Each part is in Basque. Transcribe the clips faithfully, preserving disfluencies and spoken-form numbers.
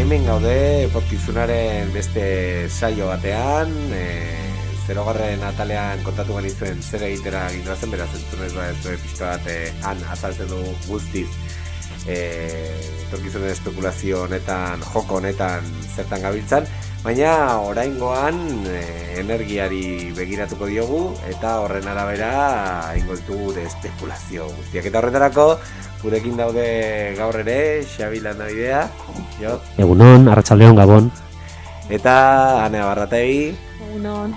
hemen gaude etorkizunaren beste saio batean, e, zerogarren atalean kontatu genizuen zer egitera ginduazen, beraz entzunez ba ez du pixka bat e, han azaltzen du guztiz e, etorkizunen espekulazio honetan, joko honetan zertan gabiltzan, baina oraingoan e, energiari begiratuko diogu eta horren arabera egingo ditugu gure espekulazio guztiak. Eta horretarako gurekin daude gaur ere Xabi Landabidea, jo. Egunon, arratsaldeon Gabon. Eta Anea Barrategi. Egunon.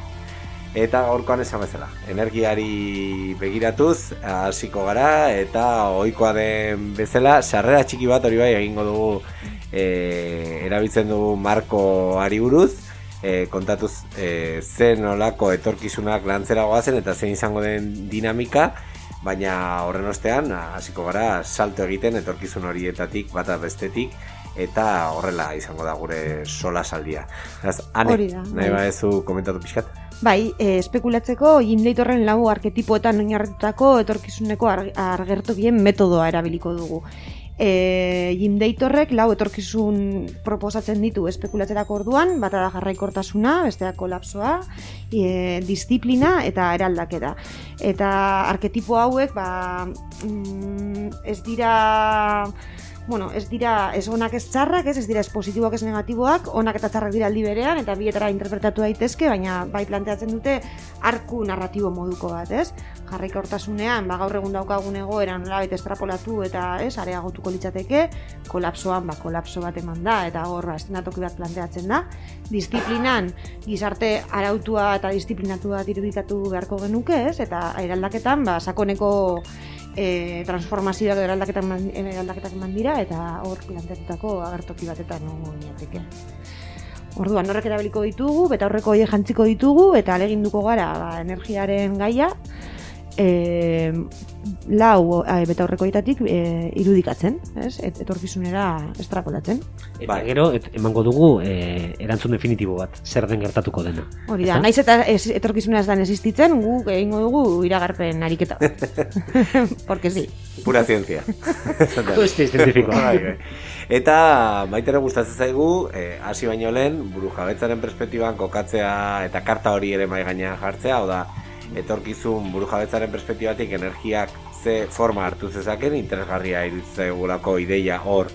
Eta gaurkoan esan bezala, energiari begiratuz hasiko gara eta ohikoa den bezala sarrera txiki bat hori bai egingo dugu e, erabiltzen dugu markoari buruz, e, kontatuz e, zen nolako etorkizunak lantzera goazen eta zein izango den dinamika, baina horren ostean hasiko gara salto egiten etorkizun horietatik bata bestetik eta horrela izango da gure sola saldia. Hori da. Nahi badezu komentatu pixkat? Bai, e, espekulatzeko Jim Leightorren lau arketipoetan oinarritutako etorkizuneko argertokien metodoa erabiliko dugu. E, Jim Leightorrek lau etorkizun proposatzen ditu espekulatzerako orduan, bata da jarraikortasuna, bestea kolapsoa, e, disiplina eta eraldaketa. Eta arketipo hauek ba, mm, ez dira... Bueno, ez dira, ez onak ez txarrak, ez, ez dira ez positiboak ez negatiboak, onak eta txarrak dira aldi berean, eta bietara interpretatu daitezke, baina bai planteatzen dute arku narratibo moduko bat, ez? Jarraikortasunean, ba gaur egun daukagun egoera nolabait estrapolatu eta, ez, areagotuko litzateke, kolapsoan, ba kolapso bat eman da, eta hor eszenatoki bat planteatzen da. Disiplinan, gizarte arautua eta disiplinatua irudikatu beharko genuke, ez? Eta eraldaketan, ba sakoneko E, transformazioak eraldaketak eraldaketak eman dira eta hor planteatutako agertoki batetan egongo ginateke. Orduan horrek erabiliko ditugu, beta horreko horiek jantziko ditugu eta aleginduko gara ba, energiaren gaia e, lau e, beta horreko horietatik e, irudikatzen, ez? Et, etorkizunera estrapolatzen. Eta gero et, emango dugu e, erantzun definitibo bat, zer den gertatuko dena. Hori da, naiz eta ez, etorkizuna ez dan existitzen, guk egingo dugu iragarpen ariketa. Porque sí. Pura ciencia. Este científico. Eta baitera gustatzen zaigu, hasi eh, baino lehen, burujabetzaren perspektiban kokatzea eta karta hori ere mai gainean jartzea, hau da, etorkizun burujabetzaren perspektibatik energiak ze forma hartu zezaken, interesgarria iruditzen zaigulako ideia hor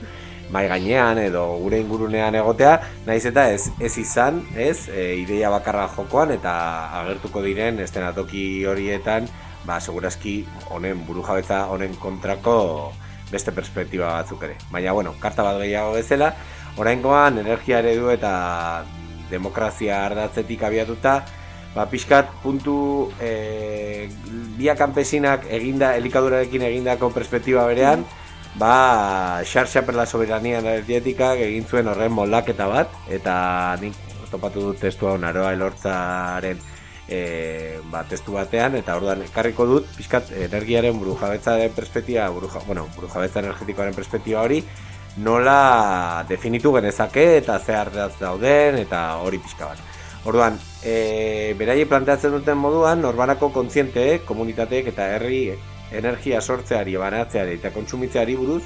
mai gainean edo gure ingurunean egotea, naiz eta ez ez izan, ez, e, ideia bakarra jokoan eta agertuko diren eszenatoki horietan, ba segurazki honen burujabetza honen kontrako beste perspektiba batzuk ere. Baina bueno, karta bat gehiago bezala, oraingoan energia eredu eta demokrazia ardatzetik abiatuta, ba pixkat puntu e, bia kanpesinak eginda elikadurarekin egindako perspektiba berean, ba xarxa per la soberanía energética egin zuen horren moldaketa bat eta nik topatu dut testu hau Naroa Elortzaren e, ba, testu batean eta orduan ekarriko dut pixkat energiaren burujabetzaren perspektiba, buruja, bueno, burujabetza energetikoaren perspektiba hori nola definitu genezake eta ze ardatz dauden eta hori pixka bat. Orduan, e, beraiek planteatzen duten moduan, norbanako kontzienteek, komunitateek eta herri energia sortzeari, banatzeari eta kontsumitzeari buruz,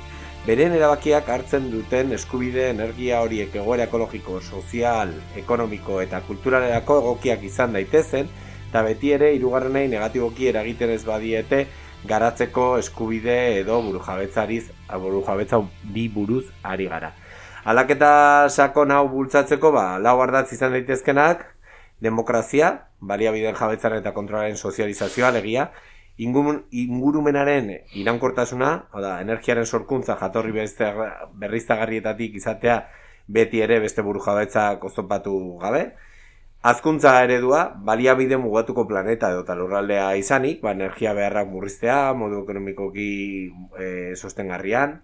beren erabakiak hartzen duten eskubide energia horiek egoera ekologiko, sozial, ekonomiko eta kulturalerako egokiak izan daitezen, eta beti ere hirugarrenei negatiboki eragiten ez badiete garatzeko eskubide edo burujabetzariz, burujabetza bi buruz ari gara. Aldaketa sakon hau bultzatzeko, ba, lau ardatz izan daitezkenak, demokrazia, baliabideen jabetzaren eta kontrolaren sozializazioa, alegia, ingurumenaren iraunkortasuna, oda, energiaren sorkuntza jatorri berriztagarrietatik izatea beti ere beste burujabetzak oztopatu gabe, hazkuntza eredua, baliabide mugatuko planeta edo lurraldea izanik, ba, energia beharrak murriztea, modu ekonomikoki e, sostengarrian,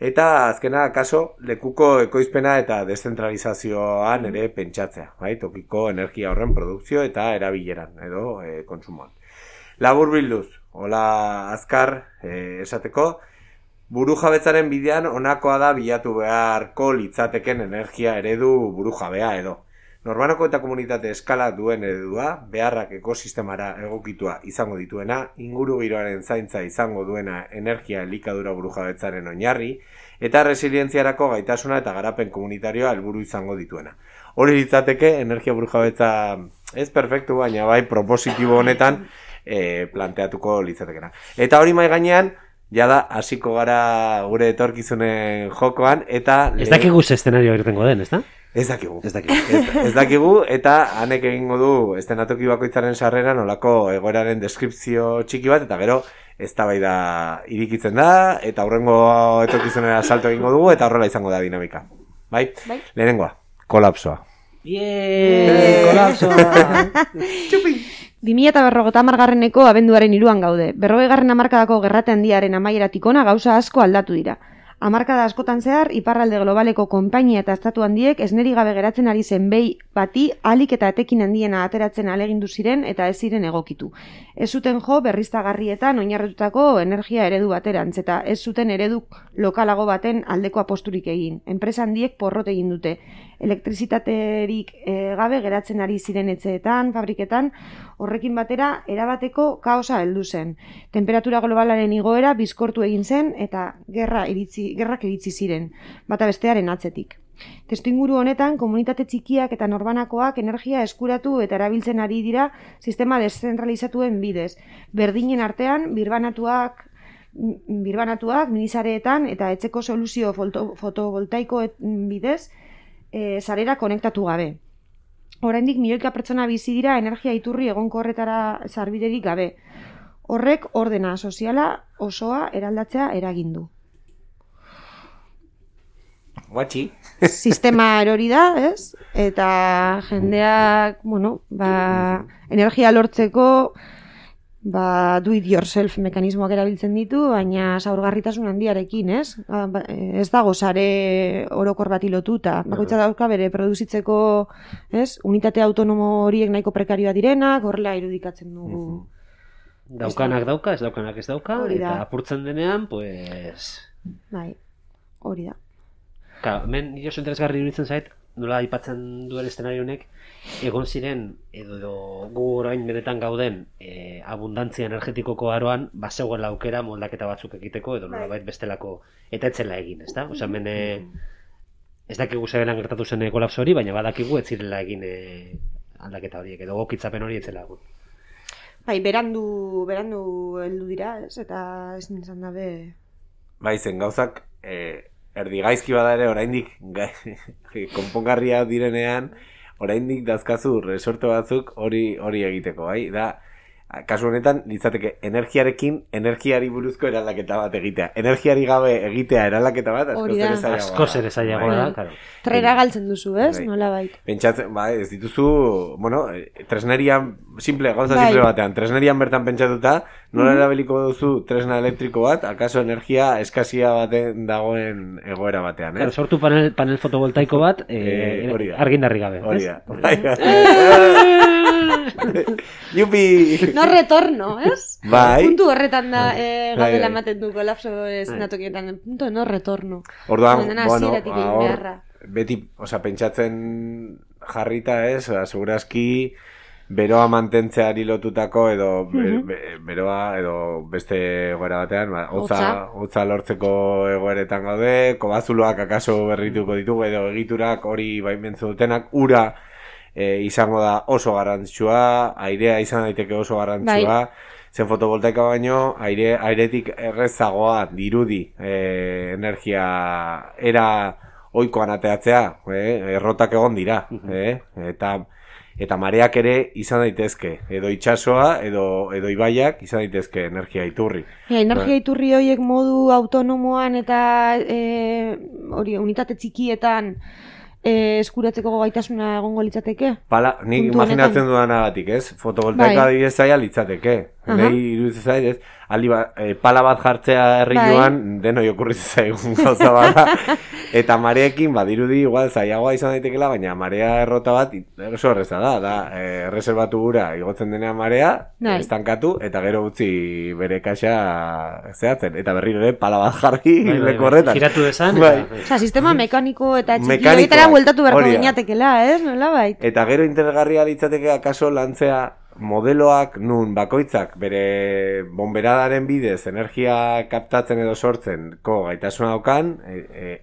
eta azkena, kaso, lekuko ekoizpena eta deszentralizazioan ere pentsatzea, bai, tokiko energia horren produkzio eta erabileran edo e, kontsumoan. Labur bilduz, hola azkar e, esateko, burujabetzaren bidean honakoa da bilatu beharko litzateken energia eredu burujabea edo. Norbanako eta komunitate eskala duen eredua, beharrak ekosistemara egokitua izango dituena, inguru giroaren zaintza izango duena energia elikadura burujabetzaren oinarri, eta resilientziarako gaitasuna eta garapen komunitarioa helburu izango dituena. Hori litzateke energia burujabetza ez perfektu, baina bai propositibo honetan e, planteatuko litzatekena. Eta hori mai gainean, jada hasiko gara gure etorkizunen jokoan, eta... Ez dakigu ze eszenario irtengo den, ez da? Ez dakigu. Ez dakigu. ez, ez dakigu, eta hanek egingo du estenatoki bakoitzaren sarreran olako egoeraren deskripzio txiki bat, eta gero eztabaida irikitzen da, eta aurrengo etorkizunera salto egingo dugu, eta horrela izango da dinamika. Bai? Bai. Lehenengoa, kolapsoa. Bien, kolapsoa! Txupi! bi mila berrogeita hamargarreneko abenduaren hiruan gaude. Berrogeigarren hamarkadako gerrate handiaren amaieratik hona gauza asko aldatu dira. Hamarkada askotan zehar, iparralde globaleko konpainia eta estatu handiek esneri gabe geratzen ari zen behi bati alik eta etekin handiena ateratzen alegindu ziren eta ez ziren egokitu. Ez zuten jo berriztagarrietan oinarritutako energia eredu baterantz eta ez zuten eredu lokalago baten aldeko aposturik egin. Enpresa handiek porrot egin dute. Elektrizitaterik e, gabe geratzen ari ziren etxeetan, fabriketan, horrekin batera erabateko kaosa heldu zen. Temperatura globalaren igoera bizkortu egin zen eta gerra iritzi, gerrak iritzi ziren, bata bestearen atzetik. Testuinguru honetan, komunitate txikiak eta norbanakoak energia eskuratu eta erabiltzen ari dira sistema deszentralizatuen bidez. Berdinen artean, birbanatuak, birbanatuak minisareetan eta etxeko soluzio foto, fotovoltaiko bidez, e, sarera konektatu gabe. Oraindik milioika pertsona bizi dira energia iturri egonkorretara sarbiderik gabe. Horrek ordena soziala osoa eraldatzea eragin du. Guatxi. Sistema erori da, ez? Eta jendeak, bueno, ba, energia lortzeko ba, do it yourself mekanismoak erabiltzen ditu, baina zaurgarritasun handiarekin, ez? Ba, ez dago sare orokor bati lotuta. Bakoitza dauka bere produzitzeko, ez? Unitate autonomo horiek nahiko prekarioa direnak, horrela irudikatzen dugu. Daukanak dauka, ez daukanak ez dauka, eta apurtzen denean, pues... Bai, hori da. Ka, hemen nire oso interesgarri iruditzen zait, nola aipatzen duen eszenario honek, egon ziren, edo, edo gu orain benetan gauden, e, abundantzia energetikoko aroan, bazegoen aukera moldaketa batzuk egiteko, edo nola bait bestelako, eta etzela egin, ez da? Osa, hemen, ez dakigu zebelan gertatu zen kolapso hori, baina badakigu ez zirela egin e, aldaketa horiek, edo gokitzapen hori etzela egun. Bai, berandu, berandu heldu dira, ez? Eta ez nintzen dabe... Bai, zen gauzak... E... Erdi gaizki bada ere, oraindik konpongarria direnean, oraindik dazkazu resorte batzuk hori hori egiteko, bai? Da, kasu honetan, litzateke, energiarekin, energiari buruzko eraldaketa bat egitea. Energiari gabe egitea eraldaketa bat, asko zer ezaiagoa. Asko zer ezaiagoa da, claro. Trera galtzen duzu, ez? Nola bait. Pentsatzen, bai, ez dituzu, bueno, tresnerian, simple, gauza simple batean, tresnerian bertan pentsatuta, nola erabiliko duzu tresna elektriko bat, akaso energia eskasia baten dagoen egoera batean, eh? Sortu panel, panel fotovoltaiko bat, eh, eh, argindarri gabe. Hori da. Yupi! No retorno, ez? Bai. Puntu horretan da, eh, gaudela ematen du kolapso ez natokietan, punto no retorno. Orduan, bueno, hor, beti, oza, pentsatzen jarrita ez, segurazki beroa mantentzeari lotutako edo be, be, beroa edo beste egoera batean, ba, hotza, hotza lortzeko egoeretan gaude, kobazuloak akaso berrituko ditugu edo egiturak hori baimentzu dutenak, ura e, izango da oso garrantzitsua, airea izan daiteke oso garrantzitsua, bai. Zen fotovoltaika baino, aire, airetik errezagoa dirudi e, energia era oikoan ateatzea, eh? Errotak egon dira, eh? eta eta mareak ere izan daitezke, edo itsasoa edo edo ibaiak izan daitezke energia iturri. Ja, energia iturri horiek modu autonomoan eta e, hori unitate txikietan e, eskuratzeko gaitasuna egongo litzateke? Pala, nik imaginatzen dudanagatik, ez? Fotovoltaika bai. Adibidez zaila litzateke. Nei iruditzen zait, ez? Aldi ba, e, pala bat jartzea herri joan, bai. Denoi okurritzen zaigun gauza bada. Eta mareekin, badirudi, igual, zailagoa izan daitekela, baina marea errota bat, oso erreza da, da, e, reservatu gura, igotzen denean marea, bai. Estankatu, eta gero utzi bere kaxa zehatzen, eta berriro ere, pala bat jarri, bai, bai, leko horretan. Giratu desan, bai. Eta... Osa, sistema mekaniko eta txiki horietara bueltatu beharko gineatekela, ez? Nola bait? Eta gero interesgarria litzateke akaso lantzea modeloak nun bakoitzak bere bonberadaren bidez energia kaptatzen edo sortzenko gaitasuna daukan,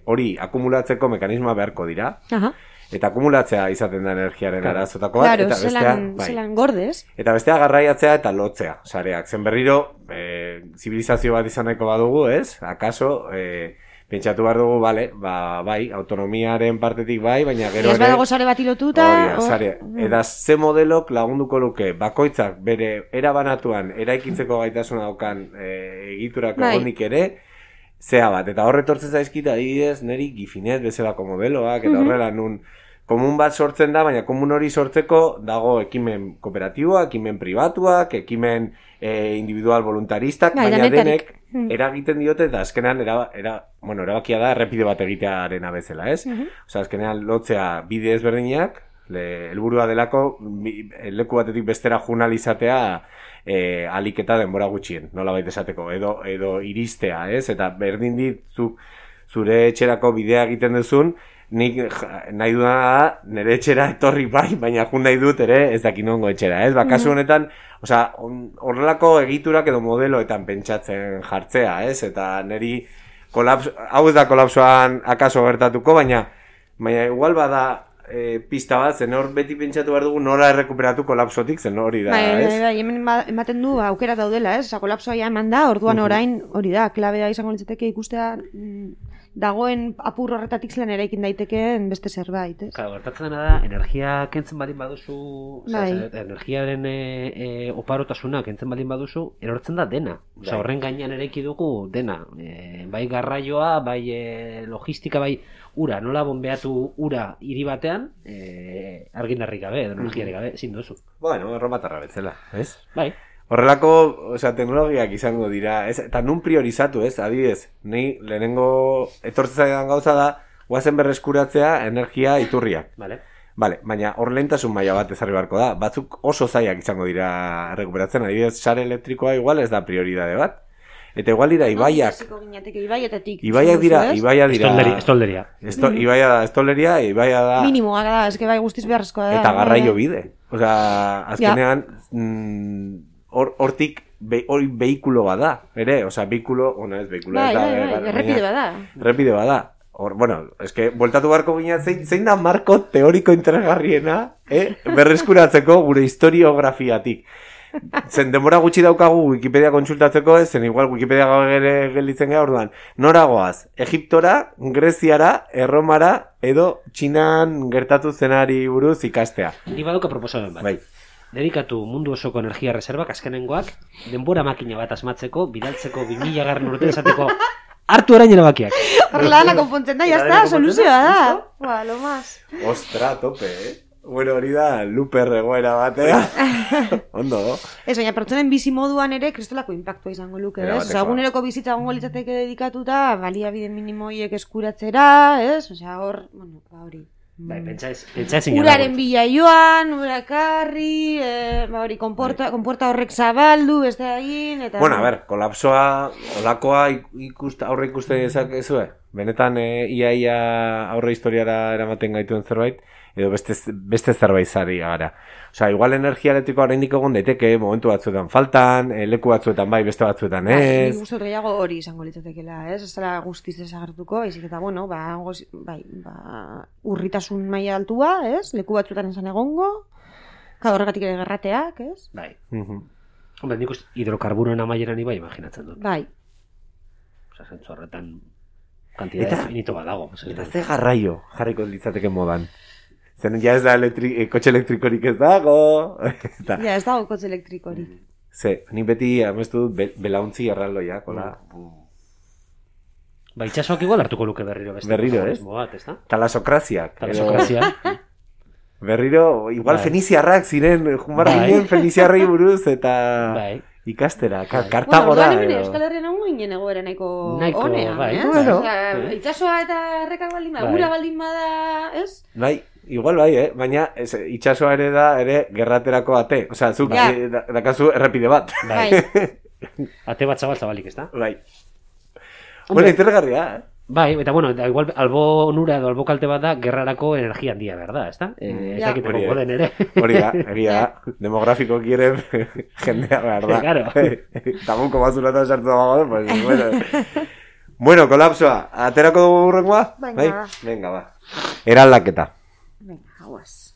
hori e, e, akumulatzeko mekanismoa beharko dira. Aha. Eta akumulatzea izaten da energiaren claro. arazotako bat. Claro, eta bestea, zelan, bai. zelan gordez. Eta bestea garraiatzea eta lotzea, sareak. Zen berriro, e, zibilizazio bat izan nahiko badugu, ez? Akaso, e, pentsatu behar dugu, bale, ba, bai, autonomiaren partetik bai, baina gero ere... Ez badago sare bat ilotuta... Hori, sare. Eta ze modelok lagunduko luke, bakoitzak bere erabanatuan, eraikitzeko gaitasuna daukan e, egiturako bai. Egonik ere, zea bat. Eta horretortzen zaizkit adibidez, neri Gifinet bezalako modeloak, eta horrela nun... Komun bat sortzen da, baina komun hori sortzeko dago ekimen kooperatiboak, ekimen pribatuak, ekimen e, individual voluntaristak, baina denek eragiten diote eta azkenean era, era, bueno, erabakia da errepide bat egitearen bezala, ez? Uh -huh. Osea, azkenean lotzea bide ezberdinak, helburua delako leku batetik bestera junalizatea e, alik eta denbora gutxien, nola baita esateko, edo, edo iristea, ez? Eta berdin ditzuk zure etxerako bidea egiten duzun, nik nahi dudana da, nire etxera etorri bai, baina jun nahi dut ere ez dakin ongo etxera, ez? Ba, kasu honetan, osea, horrelako egiturak edo modeloetan pentsatzen jartzea, ez? Eta niri, kolapso, hau ez da kolapsoan akaso gertatuko, baina, baina igual bada e, pista bat, zen hor beti pentsatu behar dugu nola errekuperatu kolapsotik, zen hori da, bai, ez? Bai, bai, hemen ematen du, aukera daudela, ez? Osa, kolapsoa ja eman da, orduan orain, hori da, klabea izango litzateke ikustea... dagoen apur horretatik zelan eraikin daitekeen beste zerbait, ez? Claro, gertatzen dena da, energia kentzen baldin baduzu, bai. Oza, energiaren e, e, oparotasuna kentzen baldin baduzu, erortzen da dena. Oza, horren gainean eraiki dugu dena. E, bai garraioa, bai e, logistika, bai ura, nola bonbeatu ura hiri batean, e, argindarrik gabe, edo energiarik gabe, ezin duzu. Bueno, erromatarra betzela, ez? Bai. Horrelako, osea, teknologiak izango dira, ez? Eta nun priorizatu, ez? Adibidez, ni lehenengo etortzen zaidan gauza da, guazen berreskuratzea energia iturriak. Vale. Vale, baina hor lehentasun maila bat ezarri beharko da. Batzuk oso zaiak izango dira errekuperatzen, adibidez, sare elektrikoa igual ez da prioridade bat. Eta igual dira ibaiak. Ibaiak dira, ibaiak dira. Estolderia. Esto, ibaia da, estolderia, ibaia da. Minimoa da, eske bai guztiz beharrezkoa da. Eta garraio bide. Osea, azkenean, mm, hortik be, hori behikulo bada, ere, osea, behikulo, ona ez behikulo bai, ez da. Bai, bai, bai, errepide bada. Errepide bada. Hor, bueno, eske, voltatu barko gina, zein, zein da marko teoriko interesgarriena, eh? Berreskuratzeko gure historiografiatik. Zen denbora gutxi daukagu Wikipedia kontsultatzeko, ez zen igual Wikipedia gelditzen gara orduan. Noragoaz, Egiptora, Greziara, Erromara, edo Txinan gertatu zenari buruz ikastea. Ni baduka proposamen bat. Bai. Dedikatu mundu osoko energia reservak azkenengoak, denbora makina bat asmatzeko, bidaltzeko bi mila garren urte esateko hartu orain erabakiak. Horrela dana konpontzen da, jazta, soluzioa da. Ba, lo más. Ostra, tope, eh? Bueno, hori da, luper egoera batea. Ondo. Ez, baina pertsonen bizi moduan ere kristolako impactua izango luke, ez? Osa, eguneroko bizitza gongo litzateke dedikatuta, baliabide minimoiek eskuratzera, ez? Osea, hor, bueno, hori. Bai, pentsaiz, pentsaiz uraren bila joan, urakarri, eh, ba hori, konporta, konporta horrek zabaldu, beste egin, eta... Bueno, a ver, kolapsoa, olakoa ikusta, aurre ikusten dezakezue? Benetan, e, ia, ia aurre historiara eramaten gaituen zerbait, edo beste, beste zerbait zari gara. Osea, igual energia elektrikoa oraindik egon daiteke, momentu batzuetan faltan, leku batzuetan bai, beste batzuetan ez. Bai, nik uste gehiago hori izango litzatekeela, ez? Ez dela guztiz desagertuko, baizik eta, bueno, ba, goz, bai, ba, urritasun maila altua, ez? Leku batzuetan esan egongo, ka horregatik ere gerrateak, ez? Bai. Uh-huh. Hombre, nik uste hidrokarburoen amaieran ibai imaginatzen dut. Bai. Osa, zentzu horretan kantidad infinito bat dago. Eta ze garraio jarriko litzateke modan. Zen ja ez da elektri, e, kotxe elektrikorik ez dago. Eta... Ja, ez dago kotxe elektrikorik. Ze, nik beti amestu dut be, belauntzi erraldoia, kola. Mm. Ba, itxasoak igual hartuko luke berriro beste. Berriro, ez? Bat, ez da? Talasokraziak. Talasokraziak. Berriro, igual bai. Feniziarrak ziren, jumara bai. Ginen Feniziarrei buruz, eta... Bai. Ikastera, bai. Kartagora. Bueno, orduan Euskal Herrian egun ginen egoera nahiko honean, bai. eh? Bueno. Osea, itxasoa eta errekak baldin bada, gura baldin bada, ez? Bai. Igual bai, eh? Baina ez, itxasoa ere da, ere, gerraterako ate. Osea, zuk, ja. e, da, dakazu errepide bat. Bai. Ate bat zabal zabalik, ez da? Bai. Bueno, interesgarria, eh? Bai, eta bueno, da, igual albo onura edo albo kalte bat da, gerrarako energia handia, berda, ez da? Eh, ez dakit egongo den ere. Hori da, egia da, demografiko ere jendea behar da. Claro. Tamunko bazulata sartu dago, pues, bueno. Bueno, kolapsoa, aterako dugu burrengoa? Venga, ba. Venga, ba. Eraldaketa. Venga, hauaz.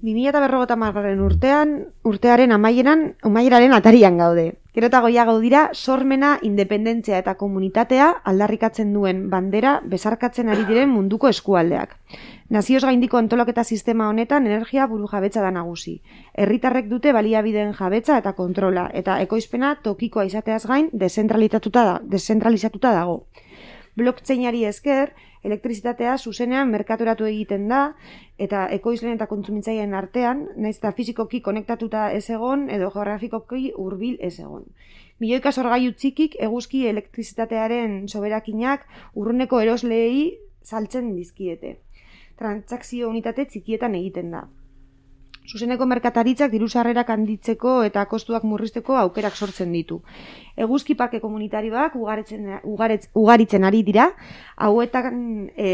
bi mila berrogeita hamargarren urtean, urtearen amaieran, amaieraren atarian gaude. Gero eta goiago dira, sormena, independentzia eta komunitatea aldarrikatzen duen bandera besarkatzen ari diren munduko eskualdeak. Nazioz gaindiko antolaketa sistema honetan energia burujabetza da nagusi. Herritarrek dute baliabideen jabetza eta kontrola, eta ekoizpena tokikoa izateaz gain dezentralizatuta da, dezentralizatuta dago. Blockchainari esker, elektrizitatea zuzenean merkaturatu egiten da, eta ekoizleen eta kontsumitzaileen artean, naiz eta fizikoki konektatuta ez egon, edo geografikoki hurbil ez egon. Milioika sorgailu txikik eguzki elektrizitatearen soberakinak urruneko erosleei saltzen dizkiete. Transakzio unitate txikietan egiten da. Zuzeneko merkataritzak diru sarrerak handitzeko eta kostuak murrizteko aukerak sortzen ditu. Eguzki parke komunitarioak ugaritzen, ugaretz, ugaritzen ari dira, hauetan e,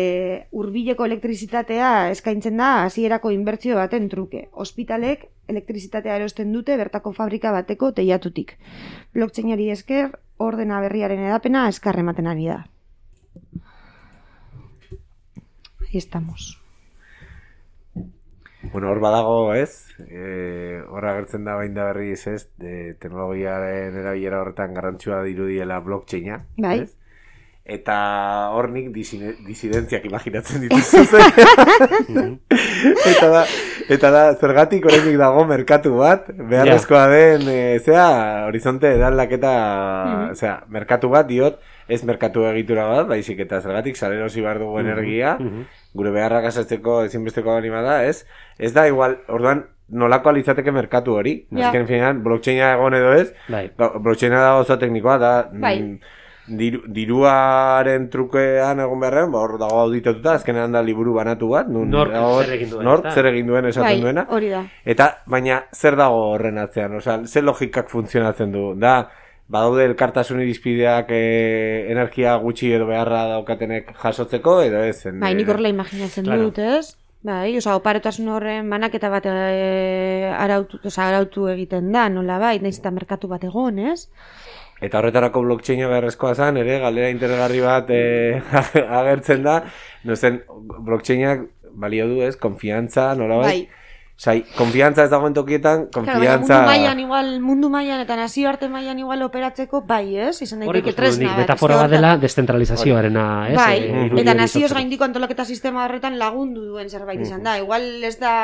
hurbileko elektrizitatea eskaintzen da hasierako inbertsio baten truke. Ospitalek elektrizitatea erosten dute bertako fabrika bateko teilatutik. Blockchainari esker, ordena berriaren edapena eskar ematen ari da. Ahí estamos. Bueno, hor badago, ez? Eh, hor agertzen da bain da berriz, ez? De teknologiaren erabilera horretan garrantzua dirudiela blockchaina, bai. Ez? Eta hor nik disidentziak imaginatzen dituzu. eta da, eta da, zergatik oraindik dago merkatu bat, beharrezkoa den, e, zera, horizonte edaldaketa, mm-hmm. zera, merkatu bat diot, ez merkatu egitura bat, baizik eta zergatik salerosi behar dugu energia, mm-hmm. gure beharrak asatzeko ezinbesteko anima da, ez? Ez da igual, orduan, nolako alizateke merkatu hori, yeah. Azken finean, blockchaina egon edo ez, bai. Blockchaina da oso teknikoa, da, bai. Diru, diruaren trukean egon beharren, ba, hor dago auditatuta, azkenean da liburu banatu bat, nun, Nork dago, zer egin duen, Nork zer egin duen esaten bai, duena, hori da. Eta, baina, zer dago horren atzean, osea, zer logikak funtzionatzen du, da, badaude elkartasun irizpideak e, energia gutxi edo beharra daukatenek jasotzeko, edo ez? En, bai, nik horrela imaginatzen claro. dut, ez? Bai, oza, oparotasun horren banaketa bat e, arautu, oza, arautu egiten da, nola bai, nahiz eta merkatu bat egon, ez? Eta horretarako blockchaina beharrezkoa zen, ere, galdera interesgarri bat e, agertzen da, no zen, blockchainak balio du, ez, konfiantza, nola bai? Osai, konfiantza ez dagoen tokietan, konfiantza... Claro, mundu mailan igual, mundu mailan eta nazioarte mailan igual operatzeko, bai, ez? Izan daiteke tresna. Metafora bat dela descentralizazioarena, ez? Bai, e, eta nazioz gaindiko antolaketa sistema horretan lagundu duen zerbait izan da. Igual ez da...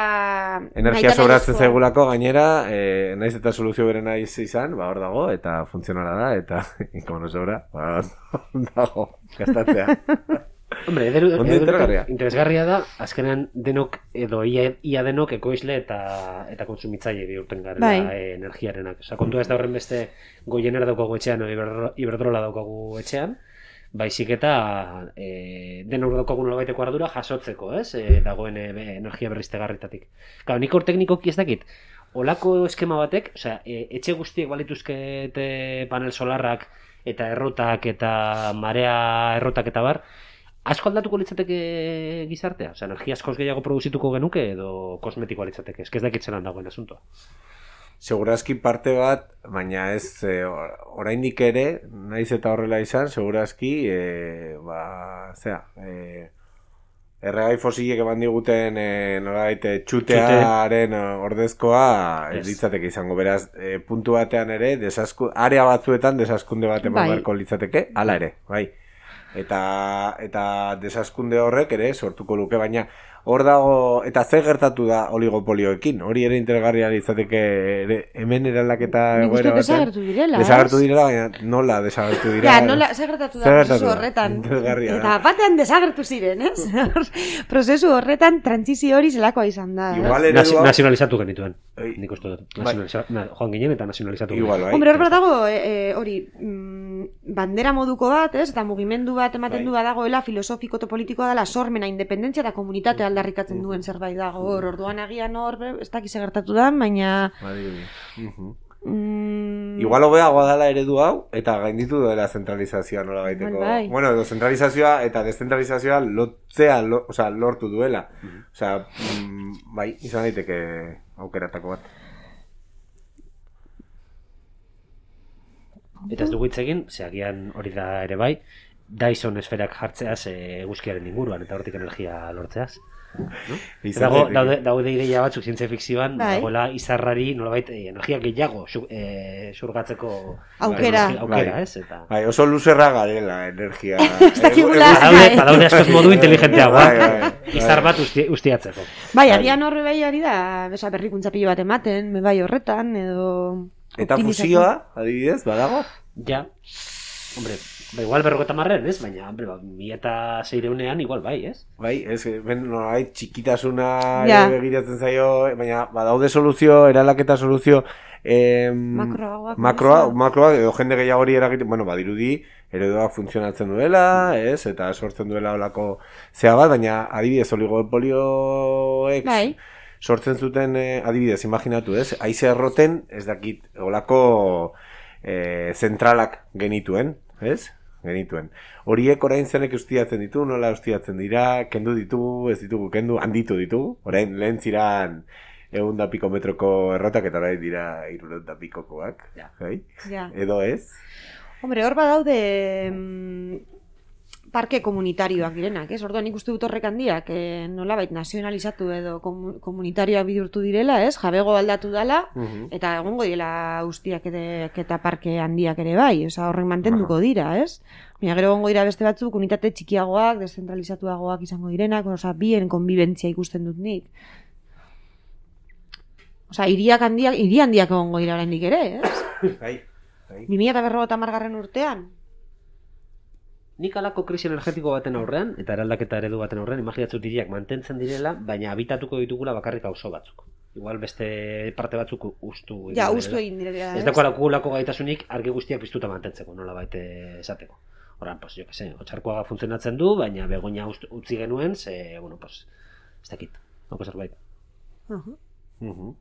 Energia sobratzen zaigulako gainera, eh, naiz eta soluzio bere naiz izan, ba hor dago, eta funtzionala da, eta, como no sobra, ba, dago, gastatzea. Hombre, eder, eder, interesgarria da, azkenean denok, edo ia, ia denok ekoizle eta eta kontsumitzaile bihurten garela bai. e, energiarenak. Osa, kontua ez da horren beste goienera daukagu etxean, o Iberdrola daukagu etxean, baizik eta e, denok daukagu nolabaiteko ardura jasotzeko, ez? E, dagoen e, energia berriztegarritatik. Claro, nik hor teknikoki ez dakit, olako eskema batek, osea, e, etxe guztiek balituzkete panel solarrak eta errotak eta marea errotak eta bar, asko aldatuko litzateke gizartea? Osea, energia askoz gehiago produzituko genuke edo kosmetikoa litzateke? Ez dakit zelan dagoen asuntoa. Segurazki parte bat, baina ez e, oraindik ere, naiz eta horrela izan, segurazki, e, ba, zera, e, erregai fosilek eman diguten e, nolabait txutearen ordezkoa ez yes. litzateke izango. Beraz, e, puntu batean ere, desasku, area batzuetan desaskunde bat eman beharko litzateke, hala ere, bai. Eta, eta desaskunde horrek ere sortuko luke, baina hor dago, eta zer gertatu da oligopolioekin, hori ere interesgarria izateke ere, hemen eraldaketa egoera batean. Desagertu direla, Desagertu direla, baina nola desagertu direla. Ja, nola, zer gertatu da prozesu horretan. Eta batean desagertu ziren, ez? Prozesu horretan trantzizio hori zelakoa izan da. Igual ere Nasi, nazionalizatu genituen. Nik uste dut. Na, joan ginen eta nazionalizatu genituen. Igual, bai. Hombre, hor bat dago, hori, e, e, mm, bandera moduko bat, ez? Eta mugimendu bat ematen bai. du badagoela filosofiko eta politikoa dela sormena, independentzia eta komunitatea aldarrikatzen duen zerbait dago hor, orduan agian hor, ez dakiz gertatu da, baina mm, igual hobeagoa dela eredu hau, eta gainditu duela zentralizazioa nola baiteko. Bai. Bueno, edo zentralizazioa eta deszentralizazioa lotzea, lo, osea, lortu duela. Osea, mm, bai, izan daiteke aukeratako bat. Eta ez dugu hitz egin, ze agian hori da ere bai, Dyson esferak jartzeaz eguzkiaren inguruan, eta hortik energia lortzeaz. No? Dago, daude, daude ideia batzuk zientzia fikzioan, bai. Dagoela izarrari nolabait eh, energia gehiago xu, eh, xurgatzeko aukera, bai, aukera bai. Ez? Eta... Bai, oso luzerra garela energia. Badaude, badaude askoz modu inteligenteagoa, bai, bai, bai. izar bat usti, ustiatzeko. Bai, agian horre bai ari da, besa, berrikuntza pilo bat ematen, me bai horretan, edo... Eta fusioa, adibidez, badago? Ja, hombre, ba, igual berrogeta marren, ez? Baina, hombre, ba, mi eta zeireunean igual bai, ez? Bai, ez, ben, norai, txikitasuna ja. begiratzen zaio, baina badaude soluzio, eralaketa soluzio, eh, makroagoak, makroa, makroa, edo jende gehiagori eragiten, bueno, badirudi, ereduak funtzionatzen duela, ez, eta sortzen duela olako zea bat, baina adibidez oligopolioek, bai. sortzen zuten, eh, adibidez, imaginatu, ez, haize erroten, ez dakit, olako eh, zentralak genituen, ez? Genituen. Horiek orain zenek ustiatzen ditu, nola ustiatzen dira, kendu ditugu, ez ditugu, kendu, handitu ditugu. Orain lehen ziran egun da piko metroko errotak, eta orain dira irurehun da pikokoak. Ja. Bai? Ja. Edo ez? Hombre, hor badaude mm, parke komunitarioak direnak, ez? Orduan nik uste dut horrek handiak, eh, nolabait nazionalizatu edo komu, komunitarioak bidurtu direla, ez? Jabego aldatu dela, uh-huh. eta egongo direla ustiak ere, eta parke handiak ere bai, oza, horrek mantenduko dira, ez? Baina gero egongo dira beste batzuk, unitate txikiagoak, deszentralizatuagoak izango direnak, oza, bien konbibentzia ikusten dut nik. Oza, hiriak handiak, hiri handiak egongo dira oraindik ere, ez? Bai, bai. bi mila berrogeita hamargarren urtean. Nik alako krisi energetiko baten aurrean, eta eraldaketa eredu baten aurrean, imaginatzen hiriak mantentzen direla, baina habitatuko ditugula bakarrik auzo batzuk. Igual beste parte batzuk ustu. Ja, ustu egin direla. Ez dago alako gaitasunik argi guztiak piztuta mantentzeko, nola baite esateko. Horan, pues, jo que se, otxarkoaga funtzionatzen du, baina begoña utzi genuen, ze, bueno, pues, ez dakit, noko zerbait. Uh-huh. Uh-huh.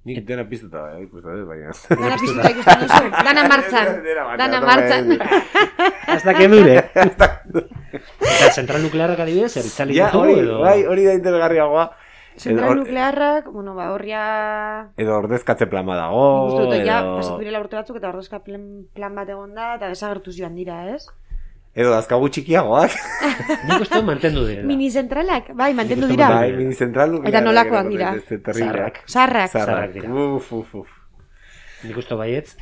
Nik dena piztuta, eh, ikusten dut, baina... Dana piztuta ikusten duzu, dana martxan, dana martxan. Hasta que dure. Eta zentral nuklearrak adibidez, eritzali ja, ditugu, edo... Bai, hori da interesgarriagoa. Zentral nuklearrak, bueno, ba, horria... Edo ordezkatze plan bat dago, nik uste dut, edo... ja, pasatu direla urte batzuk, eta ordezka plan, plan bat egon da, eta desagertuz joan dira, ez? Edo dazkagu txikiagoak. Nik uste mantendu direla. Mini-zentralak, bai, mantendu dira. Bai, mini-zentral nuklearrak. Eta nolakoak dira. Zarrak. Zarrak. Zarrak dira. Uf, uf, uf. Nik uste baietz.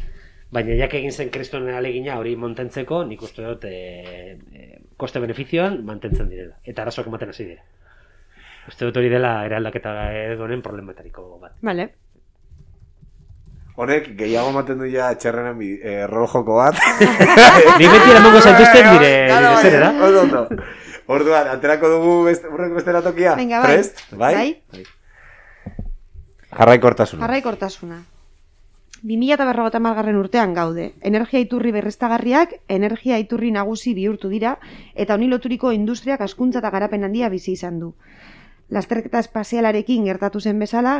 Baina jak egin zen kristonen alegina hori mantentzeko, nik uste dut e, e, koste-benefizioan mantentzen direla. Eta arazoak ematen hasi dira. Uste dut hori dela eraldaketa edonen problematariko bat. Vale. Honek, gehiago ematen du ja txerrenen eh, rojoko bat. Ni beti eramango zaituzten dire, dire zer, da? Ondo, ondo. Orduan, aterako dugu beste, urreko bestera tokia? Venga, bai. Prest? Bai? Bai. Jarraikortasuna. Jarraikortasuna. bi mila berrogeita hamargarren urtean gaude. Energia iturri berriztagarriak, energia iturri nagusi bihurtu dira, eta honi loturiko industriak hazkuntza eta garapen handia bizi izan du. Lasterketa espazialarekin gertatu zen bezala,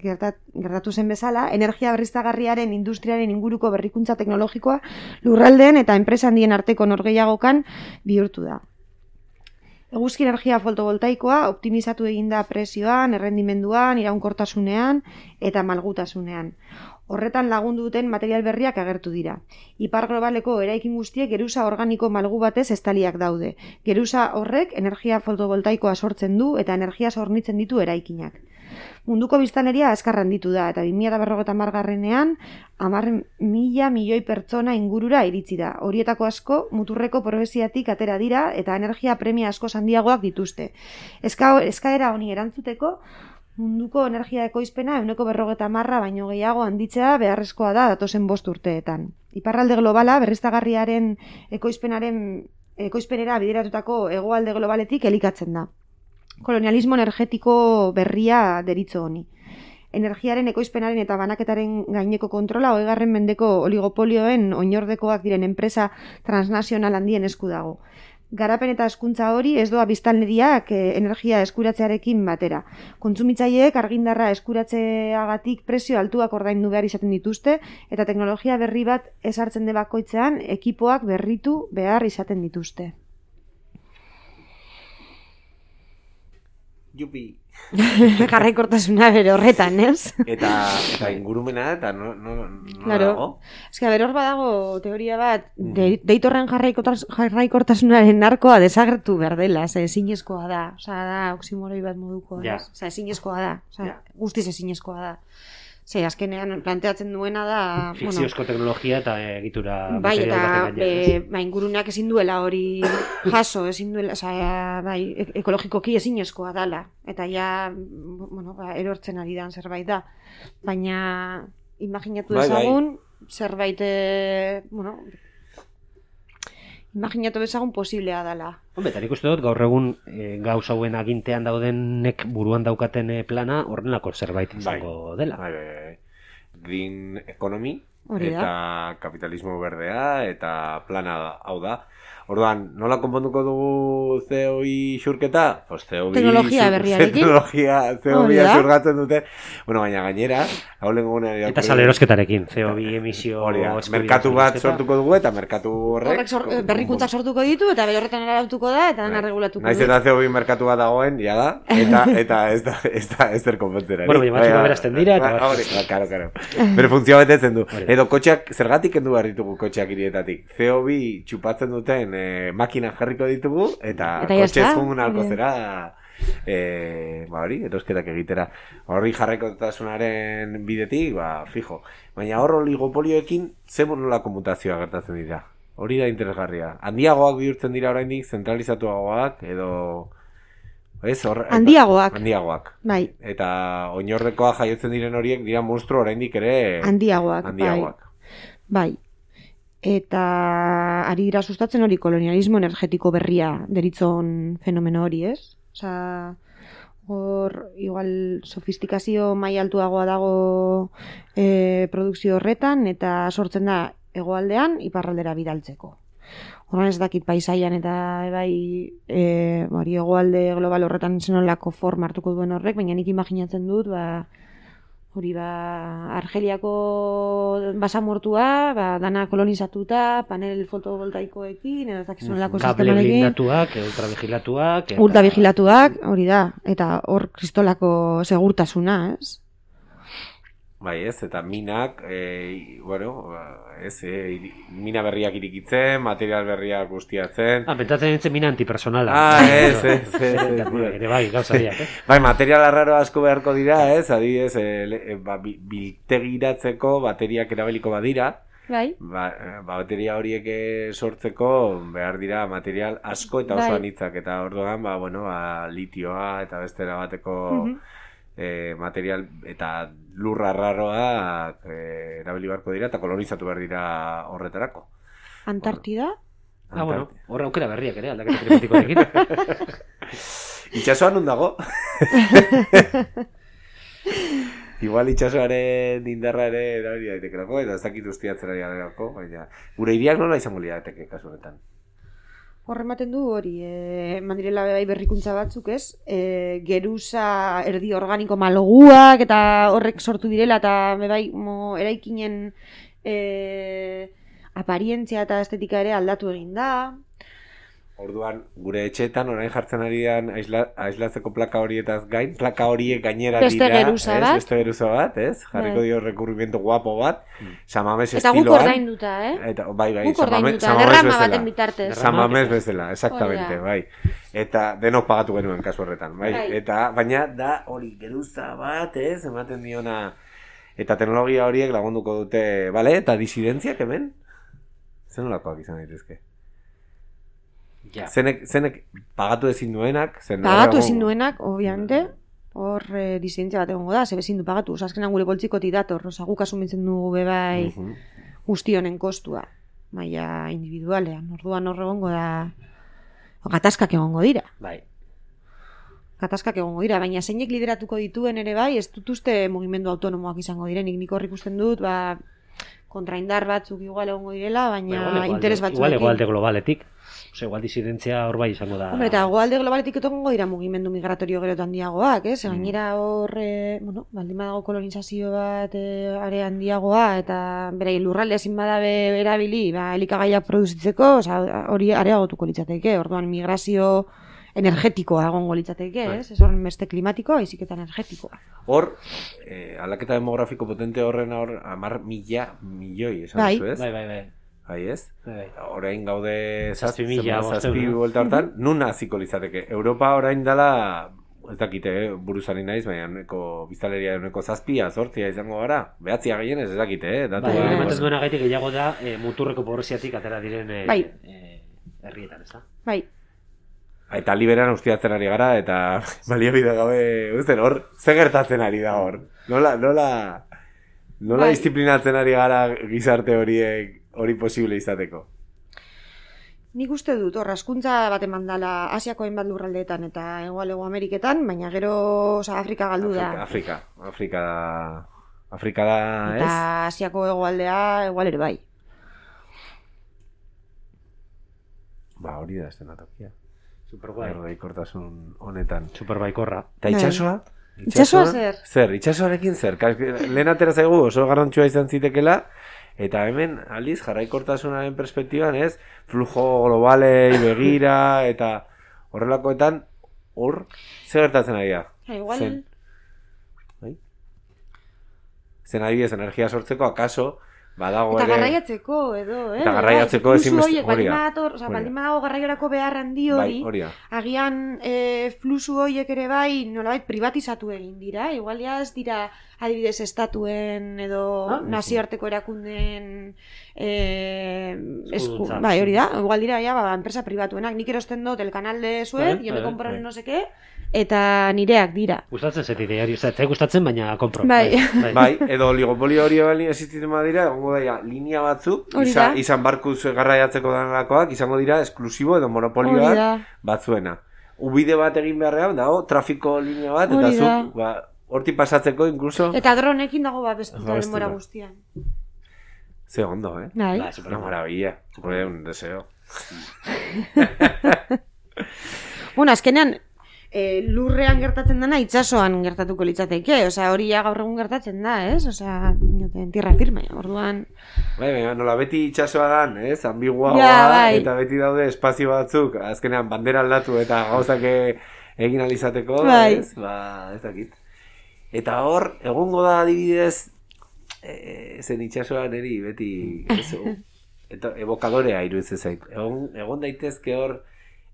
gertat, gertatu zen bezala, energia berriztagarriaren industriaren inguruko berrikuntza teknologikoa lurraldeen eta enpresa handien arteko norgehiagokan bihurtu da. Eguzki energia fotovoltaikoa optimizatu eginda presioan, errendimenduan, iraunkortasunean eta malgutasunean. Horretan lagundu duten material berriak agertu dira. Ipar globaleko eraikin guztiek geruza organiko malgu batez estaliak daude. Geruza horrek energia fotovoltaikoa sortzen du eta energia hornitzen ditu eraikinak. Munduko biztanleria azkar handitu da eta bi mila berrogeita hamargarrenean hamar mila milioi pertsona ingurura iritsi da. Horietako asko muturreko probesiatik atera dira eta energia premia asko handiagoak dituzte. Eska, eskaera honi erantzuteko munduko energia ekoizpena ehuneko berrogeita hamarra baino gehiago handitzea beharrezkoa da datozen bost urteetan. Iparralde globala berriztagarriaren ekoizpenaren ekoizpenera bideratutako hegoalde globaletik elikatzen da. Kolonialismo energetiko berria deritzo honi. Energiaren ekoizpenaren eta banaketaren gaineko kontrola hogeigarren mendeko oligopolioen oinordekoak diren enpresa transnazional handien esku dago. Garapen eta hezkuntza hori ez doa biztanleriak eh, energia eskuratzearekin batera. Kontsumitzaileek argindarra eskuratzeagatik prezio altuak ordaindu behar izaten dituzte eta teknologia berri bat ezartzen de bakoitzean ekipoak berritu behar izaten dituzte. Jupi. Jarraikortasuna bere horretan, ez? Eta, eta ingurumena, eta no, no, no claro. dago? Ez que, hor badago teoria bat, de, deitorren jarraikotas, jarraikortasunaren narkoa desagertu behar dela, ze ezinezkoa da, oza, da, oksimoroi bat moduko, ja. Oza, ezinezkoa da, oza, ja. guztiz ezinezkoa da. Ze, azkenean planteatzen duena da... Fikziozko bueno, teknologia eta egitura... Bai, eta be, ba, inguruneak ezin duela hori jaso, ezin duela, oza, bai, ekologikoki ezinezkoa dala. Eta ja, bueno, ba, erortzen ari dan zerbait da. Baina, imaginatu dezagun, bai, bai. zerbait, bueno... Imaginatu dezagun posiblea dala. Hombre, eta nik uste dut, gaur egun e, gauz hauen agintean daudenek buruan daukaten plana horrenako zerbait izango bai. dela. Bai, bai, bai. Green economy, Hori eta da. kapitalismo berdea, eta plana hau da. Orduan, nola konponduko dugu C O I xurketa? Pues C O I teknologia berriarekin. Teknologia, C O I xurgatzen dute. Bueno, baina gainera, hau lehen guna... Eta salerosketarekin, C O I emisio... Merkatu bat sortuko dugu, eta merkatu horrek... Horrek sor, berrikuntzak sortuko ditu, eta bere horretan arautuko da, eta dana regulatuko du. Naiz eta C O I merkatu bat dagoen, ja da, eta, eta ez da, ez da, ez der konpontzera. Bueno, baina batzuk berazten dira, eta... Hori, karo, karo. Bere funtzioa betetzen du. Edo kotxeak, zergatik kendu behar ditugu kotxeak hirietatik. C O I txupatzen duten eh, makina jarriko ditugu, eta, eta kotxe zungun alko zera, eh, ba hori, erosketak egitera. Horri jarraikotasunaren bidetik, ba, fijo. Baina hor oligopolioekin, ze nolako mutazioa gertatzen dira. Hori da interesgarria. Handiagoak bihurtzen dira oraindik, zentralizatuagoak, edo... Ez, hor, handiagoak. Handiagoak. Bai. Eta oinordekoa jaiotzen diren horiek dira monstru oraindik ere... Handiagoak. Handiagoak. Bai. Eta ari dira sustatzen hori kolonialismo energetiko berria deritzon fenomeno hori, ez? Osea, hor, igual, sofistikazio maila altuagoa dago e, produkzio horretan, eta sortzen da hegoaldean iparraldera bidaltzeko. Horren ez dakit paisaian eta bai e, hori hegoalde global horretan zenolako forma hartuko duen horrek, baina nik imaginatzen dut, ba, hori ba, Argeliako basamortua, ba, dana kolonizatuta, panel fotovoltaikoekin, edo ez dakizunelako sistemarekin. Kable blindatuak, ultravigilatuak. Eta... Ultravigilatuak, hori da, eta hor kristolako segurtasuna, ez? Bai, ez, eta minak, e, bueno, ez, e, mina berriak irikitzen, material berriak guztiatzen. Ah, pentsatzen nintzen mina antipersonala. Ah, ez, ez, ez. Ere bai, gauza diak, eh? Bai, material arraro asko beharko dira, ez, adibidez, e, ba, biltegiratzeko bateriak erabiliko badira. Bai. Ba, ba, bateria horiek sortzeko behar dira material asko eta oso anitzak, eta orduan, ba, bueno, ba, litioa eta bestera bateko... Uh-huh. E, material eta lurra arraroa e, erabili beharko dira eta kolonizatu behar dira horretarako. Antartida? Ah, bueno, horra aukera berriak ere, aldaketa klimatikoarekin. Itxasoan non dago? Igual itxasoaren indarra ere erabili daitekelako, eta ez dakit ustiatzen ari garelako, baina gure hiriak nola izango lirateke kasu honetan. Horrematen du hori, e, mandirela bai berrikuntza batzuk, ez? E, geruza erdi organiko maloguak eta horrek sortu direla eta bai mo, eraikinen e, aparientzia eta estetika ere aldatu egin da. Orduan, gure etxeetan orain jartzen ari dan aisla, aislatzeko plaka horietaz gain, plaka horiek gainera beste dira, geruza ez? bat. Beste geruza bat, ez? Jarriko bai. dio rekurrimiento guapo bat, mm. Samames eta estiloan. Eta guk ordainduta, eh? Eta, bai, bai, guk ordainduta, derrama baten bitartez. Samames bezala, exactamente, bai. Eta denok pagatu genuen kasu horretan, bai. bai. Eta, baina da hori geruza bat, ez? Ematen diona, eta teknologia horiek lagunduko dute, bale? Eta disidentziak hemen? Zer nolakoak izan daitezke? Ja. Zenek, zenek pagatu ezin duenak, zen pagatu ezin duenak, obviamente, hor e, disidentzia bat egongo da, ze bezin du pagatu, oza, azkenan gure poltsikotik dator, oza, guk asumitzen dugu bebai uh-huh. guzti honen kostua, maila individualean, orduan hor egongo da, gatazkak egongo dira. Bai. Gatazkak egongo dira, baina zeinek lideratuko dituen ere bai, ez dut uste mugimendu autonomoak izango direnik, nik hor ikusten dut, ba, kontraindar batzuk igual egongo direla, baina Ba, igual, interes igual, batzuekin. igual egoalde globaletik. Ose, igual disidentzia hor bai izango da. Hombre, eta egoalde globaletik etongo dira mugimendu migratorio gero eta handiagoak, ez? Gainera hor, e, bueno, baldin badago kolonizazio bat e, are handiagoa, eta bere lurralde ezin badabe erabili, ba, elikagaiak produzitzeko, oza, hori areagotuko litzateke, orduan migrazio energetikoa egongo litzateke, ez? Ez horren beste klimatikoa, baizik eta energetikoa. Hor, eh, aldaketa demografiko potente horren hor, amar mila milioi, esan Bai. duzu, ez? Bai, bai, bai. Bai, ez? Bai, bai. Orain gaude Zazpi mila, zazpi bostehun, no? buelta hortan, nun hasiko litzateke? Europa orain dela, ez dakite, eh, buruzari naiz, baina uneko biztaleria uneko zazpia, zortzia izango gara, behatzia gehienez ez dakite, eh? Datu Bai, gara. ematen duena gaitik gehiago da e, muturreko pobreziatik atera diren e, Bai. e, herrietan, ez da? Bai, Eta liberan ustiatzen ari gara, eta baliabide gabe, uzten, hor, ze gertatzen ari da hor? Nola, nola, nola Bai. disiplinatzen ari gara gizarte horiek hori posible izateko? nik uste dut, hor, askuntza bat eman dala Asiako hainbat lurraldeetan eta Hegoalego Ameriketan, baina gero, oza, Afrika galdu da. Afrika, Afrika, Afrika da, Afrika da, Eta ez? Asiako hegoaldea igual ere bai. Ba, hori da estenatokia. Superguai. Erdaikortasun honetan. Superbaikorra. Eta itxasoa? Itxasoa zer? Zer, itxasoarekin zer? Ka- Lehen atera zaigu oso garrantzua izan zitekela, eta hemen aldiz jarraikortasunaren perspektiban, ez? Flujo globalei begira, eta horrelakoetan, hor, zer gertatzen ari da? Ja, igual... Zen. Bai? Zen adibidez, energia sortzeko, akaso, badago Eta ere... garraiatzeko edo, eh? Eta garraiatzeko Bai, ezinbeste- fluxu horiek, hori baldin da. badator, osea, Hori da. baldin badago garraiorako behar handi Bai, hori, hori da. agian e, fluxu horiek ere bai nolabait privatizatu egin dira, igual ja ez dira adibidez estatuen edo Ah, nazioarteko erakundeen e, esku, Eskuduntza. bai, hori da, igual dira ja, ba, enpresa pribatuenak, nik erosten dut el canal de Suez, Bai, yo me bai, compro bai. no sé qué, eta nireak dira. Gustatzen zait ideari, ez zait gustatzen, baina kompro. Bai. Bai, edo oligopolio hori bali existitzen badira, egongo daia linea batzuk, Hori izan, da. izan barkuz garraiatzeko danalakoak, izango dira esklusibo edo Hori monopolioak da. batzuena. Ubide bat egin beharrean, dago, trafiko linea bat, eta Hori da. zuk, ba, horti pasatzeko, incluso, Eta dronekin dago babestuta Babestuta. denbora guztian. ze ondo, eh? Bai. Ba, Una superguai. maravilla, joder, un deseo. Bueno, azkenean, e, lurrean gertatzen dena itsasoan gertatuko litzateke, osea, hori ja gaur egun gertatzen da, ez? Osea, en tierra firme, orduan... Bai, baina, nola beti itxasoa dan, ez? Ambiguagoa, Ja, bai. eta beti daude espazio batzuk, azkenean bandera aldatu eta gauzak e- egin alizateko, Bai. ez? Ba, ez dakit. Eta hor, egongo da adibidez, e, zen itxasoa neri beti, ez, o- eta evokadorea iruditzen zait. Egon, egon daitezke hor,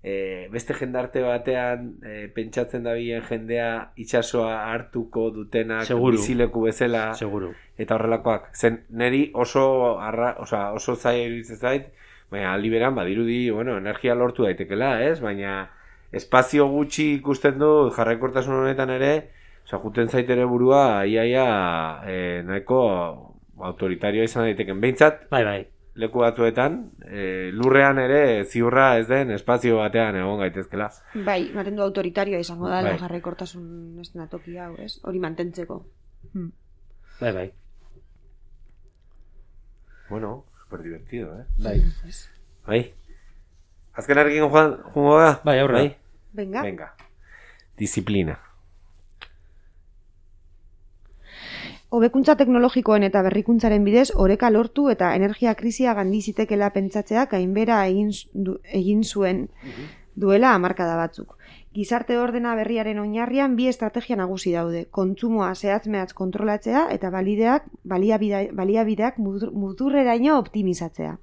e, beste jendarte batean e, pentsatzen dabilen jendea itxasoa hartuko dutenak Seguru. bizileku bezala, Seguru. eta horrelakoak. Zen, neri oso, arra, osa, oso zaila iruditzen zait, baina aldi beran, badirudi, bueno, energia lortu daitekela, ez? Baina espazio gutxi ikusten du jarraikortasun honetan ere, osa, juten zait ere burua, iaia, e, nahiko autoritarioa izan daiteken. Behintzat, Bai, bai. leku batzuetan, e, lurrean ere ziurra ez den espazio batean egon gaitezkela. Bai, ematen du autoritarioa izango da, Bai. jarraikortasun eszenatoki hau, ez? Hori mantentzeko. Hmm. Bai, bai. Bueno, super divertido, eh? Bai. Bai. Azken arrekin joan, jungo da? Bai, aurrera. Bai? Venga. Venga. Disiplina. Hobekuntza teknologikoen eta berrikuntzaren bidez oreka lortu eta energia krisia gandi zitekela pentsatzeak gainbera egin, du, egin zuen duela hamarkada batzuk. Gizarte ordena berriaren oinarrian bi estrategia nagusi daude. Kontsumoa zehatz-mehatz kontrolatzea eta balideak, baliabide, baliabideak mutur- muturreraino optimizatzea.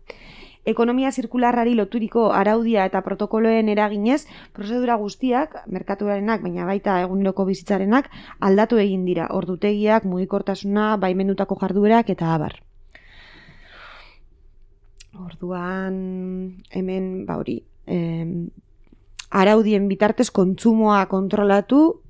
Ekonomia zirkularrari loturiko araudia eta protokoloen eraginez, prozedura guztiak, merkaturarenak, baina baita eguneroko bizitzarenak, aldatu egin dira, ordutegiak, mugikortasuna, baimendutako jarduerak eta abar. Orduan, hemen, ba hori, em, araudien bitartez kontsumoa kontrolatu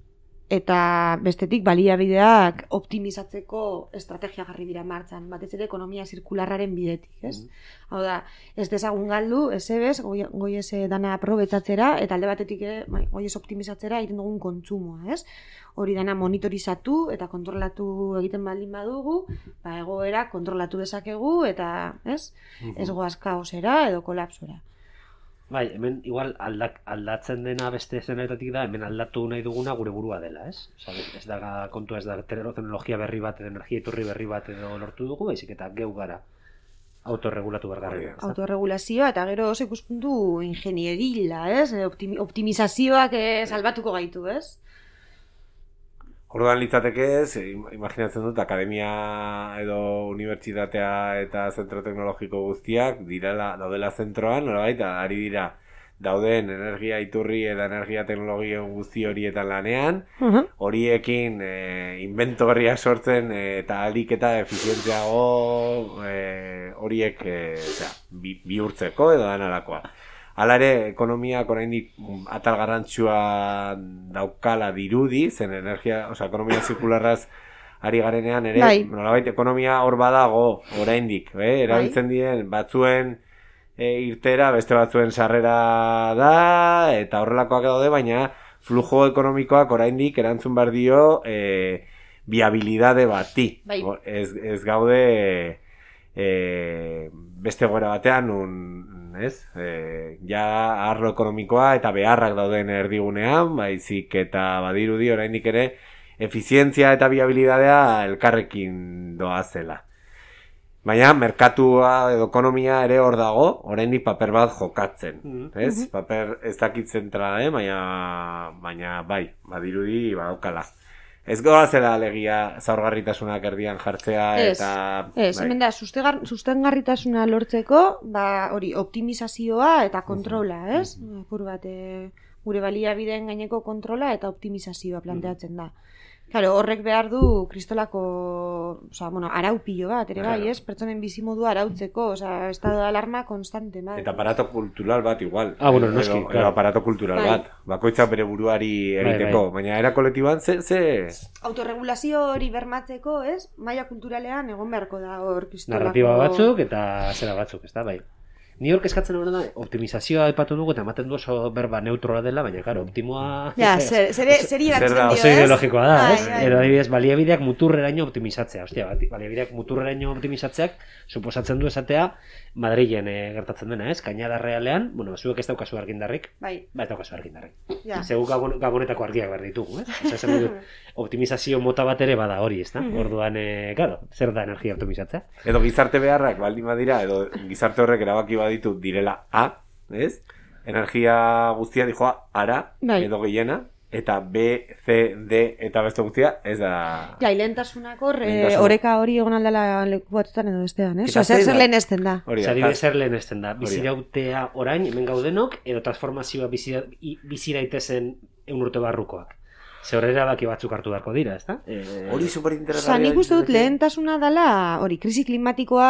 eta bestetik baliabideak optimizatzeko estrategia jarri dira martxan, batez ere ekonomia zirkularraren bidetik, ez? Mm. Hau da, ez dezagun galdu, ez ebez, goi, goi ez dana aprobetzatzera, eta alde batetik ere, bai, goi ez optimizatzera egiten dugun kontsumoa, ez? Hori dana monitorizatu eta kontrolatu egiten baldin badugu, ba, egoera kontrolatu dezakegu, eta, ez? Mm-hmm. Ez goaz kaosera edo kolapsora. Bai, hemen igual aldak, aldatzen dena beste zenetatik da, hemen aldatu nahi duguna gure burua dela, ez? Osa, ez da kontua, ez da teknologia berri bat, energia iturri berri bat edo lortu dugu, baizik eta geu gara autorregulatu bergarren. Autorregulazioa eta gero oso ikuspuntu ingenierila, ez? Optimi, optimizazioak eh, salbatuko gaitu, ez? Orduan litzateke ez, imaginatzen dut, akademia edo unibertsitatea eta zentro teknologiko guztiak direla, daudela zentroan, nolabait, ari dira dauden energia iturri eta energia teknologio guzti horietan lanean, uh-huh. horiekin e, invento berriak sortzen e, eta alik eta efizientziago e, horiek e, zera, bi, bihurtzeko edo danarakoa. Hala ere, ekonomiak oraindik atal garrantzua daukala dirudi, zen energia, osea, ekonomia zirkularraz ari garenean ere, bai. Nolabait, ekonomia hor badago oraindik, eh? Erabiltzen bai. Diren batzuen e, irtera, beste batzuen sarrera da, eta horrelakoak daude, baina flujo ekonomikoak oraindik erantzun behar dio e, viabilidade bati. Bai. Ez, ez gaude e, beste goera batean, un, ez? E, ja arlo ekonomikoa eta beharrak dauden erdigunean, baizik eta badirudi oraindik ere efizientzia eta viabilidadea elkarrekin doazela. Baina merkatua edo ekonomia ere hor dago, oraindik paper bat jokatzen, mm-hmm. ez? Paper ez dakit zentrala, eh? baina, baina bai, badirudi badaukala. Ez goa zela alegia zaurgarritasunak erdian jartzea eta... Ez, bai. Hemen da, sustengarritasuna lortzeko, ba, hori, optimizazioa eta kontrola, ez? Uh-huh. Pur bat, e, gure baliabideen gaineko kontrola eta optimizazioa planteatzen da. Claro, horrek behar du kristolako, oza, bueno, arau pilo bat, ere bai, ez? Pertsonen bizimodua arautzeko, oza, estado de alarma konstante, bai. Eta aparato kultural bat igual. Ah, bueno, noski, claro. Edo aparato kultural bai. Bat. Bakoitzak bere buruari egiteko, bai, bai. Baina era kolektiboan ze, ze... Autorregulazio hori bermatzeko, ez? Maila kulturalean egon beharko da hor kristolako... Narratiba batzuk eta zera batzuk, ez da, bai. Ni hor eskatzen hori da, optimizazioa aipatu dugu eta ematen du oso berba neutroa dela, baina, claro, optimoa... Ja, zer, zer, zer iratzen dio, oso ideologikoa da, ez? Edo adibidez, baliabideak muturreraino optimizatzea. Ostia, baliabideak muturreraino optimizatzeak suposatzen du esatea Madrilen e, gertatzen dena, ez? Kainada realean, bueno, zuek ez daukazu argindarrik. Bai. Ba, ez daukazu argindarrik. Ja. Zegu gabon, gabonetako argiak behar ditugu, ez? Osa, zen dut, optimizazio mota bat ere bada hori, ez da? Orduan, e, claro, zer da energia optimizatzea? Edo gizarte beharrak baldin badira, edo gizarte horrek erabaki baditu direla A, ez? Energia guztia dijoa ara, bai. Edo gehiena, eta B, C, D eta beste guztia, ez da... Ja, ilentasunak hor, oreka hori egon aldala leku batzutan edo bestean, ez? Osa, zer, zer lehen ezten da. Zari zer lehen ezten da. Bizirautea orain, hemen gaudenok, edo transformazioa biziraitezen egun urte barrukoak. Ze horrela baki batzuk hartu beharko dira, ez da? Hori superinteresgarria. Osa, nik uste dut lehentasuna dela, hori, krisi klimatikoa...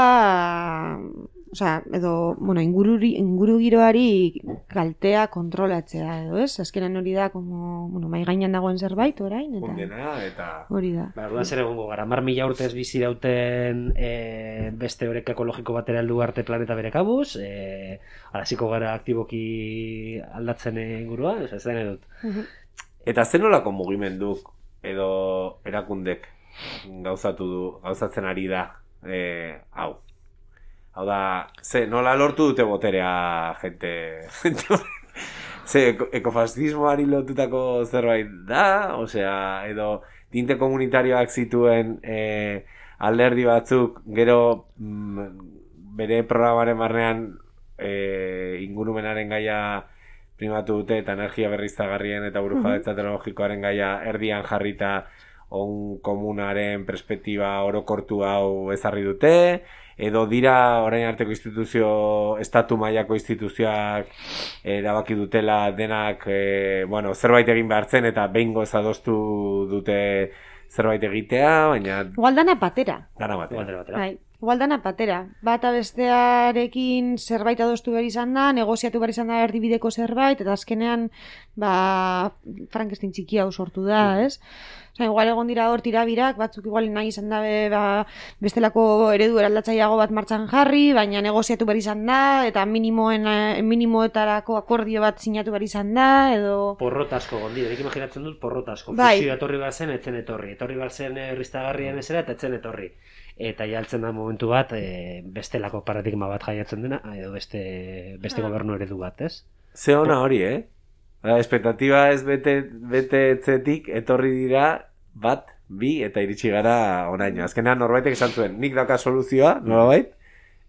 Osa, edo, bueno, ingururi, ingurugiroari kaltea kontrolatzea edo, ez? Azkenan hori da, como, bueno, mai gainan dagoen zerbait, orain, eta... Ondena, eta... Hori da. Ba, orduan zer egongo gara, mar mila urtez bizi dauten e, beste oreka ekologiko batera heldu arte planeta bere kabuz, e, araziko gara aktiboki aldatzen ingurua, ez den edut. Uh-huh. Eta zen nolako mugimenduk edo erakundek gauzatu du, gauzatzen ari da, e, hau? Hau da, ze, nola lortu dute boterea, jente... ze, ekofascismoari lotutako zerbait da, osea, edo tinte komunitarioak zituen e, alderdi batzuk, gero mm, bere programaren barnean e, ingurumenaren gaia primatu dute, eta energia berriztagarrien eta burujabetza teknologikoaren gaia erdian jarrita on komunaren perspektiba orokortu hau ezarri dute, edo dira orain arteko instituzio, estatu mailako instituzioak erabaki dutela denak, e, bueno, zerbait egin behartzen eta behingoz adostu dute zerbait egitea, baina... Igual dana batera. Dana batera. batera. Bai. Igual dana patera. Bata bestearekin zerbait adostu behar izan da, negoziatu behar izan da erdibideko zerbait, eta azkenean, ba, Frankenstein txiki hau sortu da, ez? Osa, igual egon dira hor tirabirak, batzuk igual nahi izan dabe, ba, bestelako eredu eraldatzaileago bat martxan jarri, baina negoziatu behar izan da, eta minimoen, minimoetarako akordio bat sinatu behar izan da, edo... Porrot asko gondi, erik imaginatzen dut porrot asko. Bai. Fusioa etorri behar zen, etzen etorri. Etorri behar zen erriztagarrien ezera, eta etzen etorri. Eta jaltzen da momentu bat, e, bestelako paradigma bat jaiatzen dena, edo beste, beste gobernu eredu bat, ez? Ze ona hori, eh? Espektatiba ez bete, bete etzetik, etorri dira bat, bi, eta iritsi gara oraino. Azkenean norbaitek esan zuen, nik dauka soluzioa, nolabait,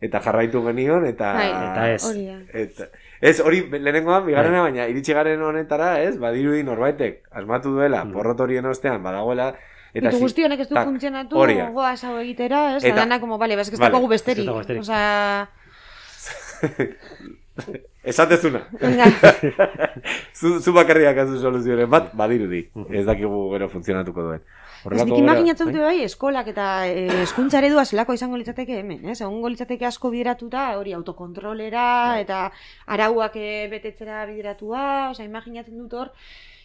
eta jarraitu genion, eta... Bai, eta ez. Hori da. Eta, ez, hori lehenengoan, bigarrena, baina iritsi garen honetara, ez, badirudi norbaitek, asmatu duela, Mm. porrot horien ostean, badagoela, eta... Ditu guzti honek ez du tak, funtzionatu, hori da. goaz hau egitera, ez? Eta- Eta dana, como, bale, ez que ez Vale. dago besterik. Ez dago besterik. Osa... Esatezuna. zu, zu bakarriak azu soluzioaren bat, badirudi. Ez dakigu gero funtzionatuko duen. Ez nik imaginatzen dute bai, eskolak eta eh, hezkuntza eredua zelako izango litzateke hemen, ez? Egongo litzateke asko bideratuta, hori autokontrolera eta arauak eh, betetzera bideratua, osea, imaginatzen dut hor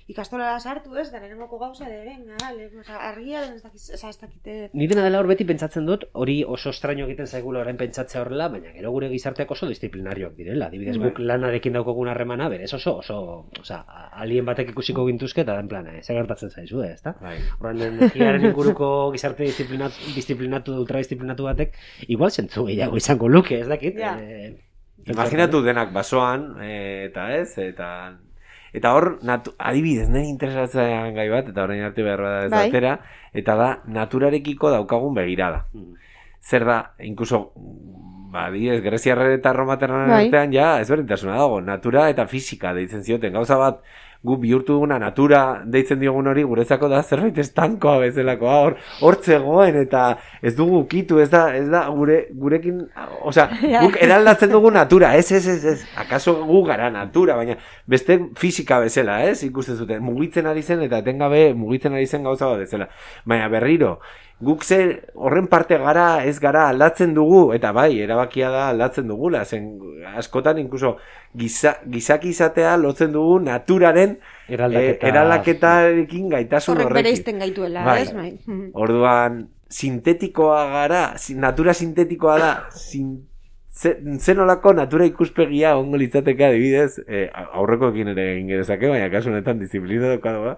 ikastolara sartu, ez? Da lehenengoko gauza de venga, dale, osea, argia den ez dakiz, ez dakite. Ni dena dela hor beti pentsatzen dut, hori oso estraño egiten zaigula orain pentsatzea horrela, baina gero gure gizarteak oso disiplinarioak direla. Adibidez, guk lanarekin daukogun harremana, berez oso, oso, osea, alien batek ikusiko gintuzke, eta den plana, ez gertatzen zaizu, ez da? Bai. Horren energiaren inguruko gizarte disiplinatu, disiplinatu, ultradisiplinatu batek, igual zentzu gehiago izango luke, ez dakit? Ja. Eh, Imaginatu denak basoan, eh, eta ez, eta... Eta hor, natu, adibidez, nire interesatzen gai bat, eta orain arte behar bada ez Bai. atera, eta da, naturarekiko daukagun begirada. Mm. Zer da, inkluso, ba, adibidez, Greziarren eta Romaterren Bai. artean, ja, ezberdintasuna dago, natura eta fisika deitzen zioten, gauza bat, gu bihurtu duguna natura deitzen diogun hori guretzako da zerbait estankoa bezalakoa, hor hortzegoen eta ez dugu ukitu, ez da, ez da gure, gurekin, osea, guk eraldatzen dugu natura, ez, ez, ez, ez, akaso gu gara natura, baina beste fisika bezala, ez, ikusten zuten, mugitzen ari zen eta etengabe mugitzen ari zen gauza bat bezala, baina berriro, guk ze horren parte gara, ez gara aldatzen dugu, eta bai, erabakia da aldatzen dugula, zen askotan inkluso giza, gizaki izatea lotzen dugu naturaren Eraldaketa- eh, eraldaketarekin gaitasun Horrek horrekin. bereizten gaituela, Bai. ez? Bai. Mhm. Orduan, sintetikoa gara, si- natura sintetikoa da, sin, ze, zenolako natura ikuspegia ongo litzateke adibidez, eh, aurrekoekin ere egin gerezake, baina kasu honetan disiplina dokadoa,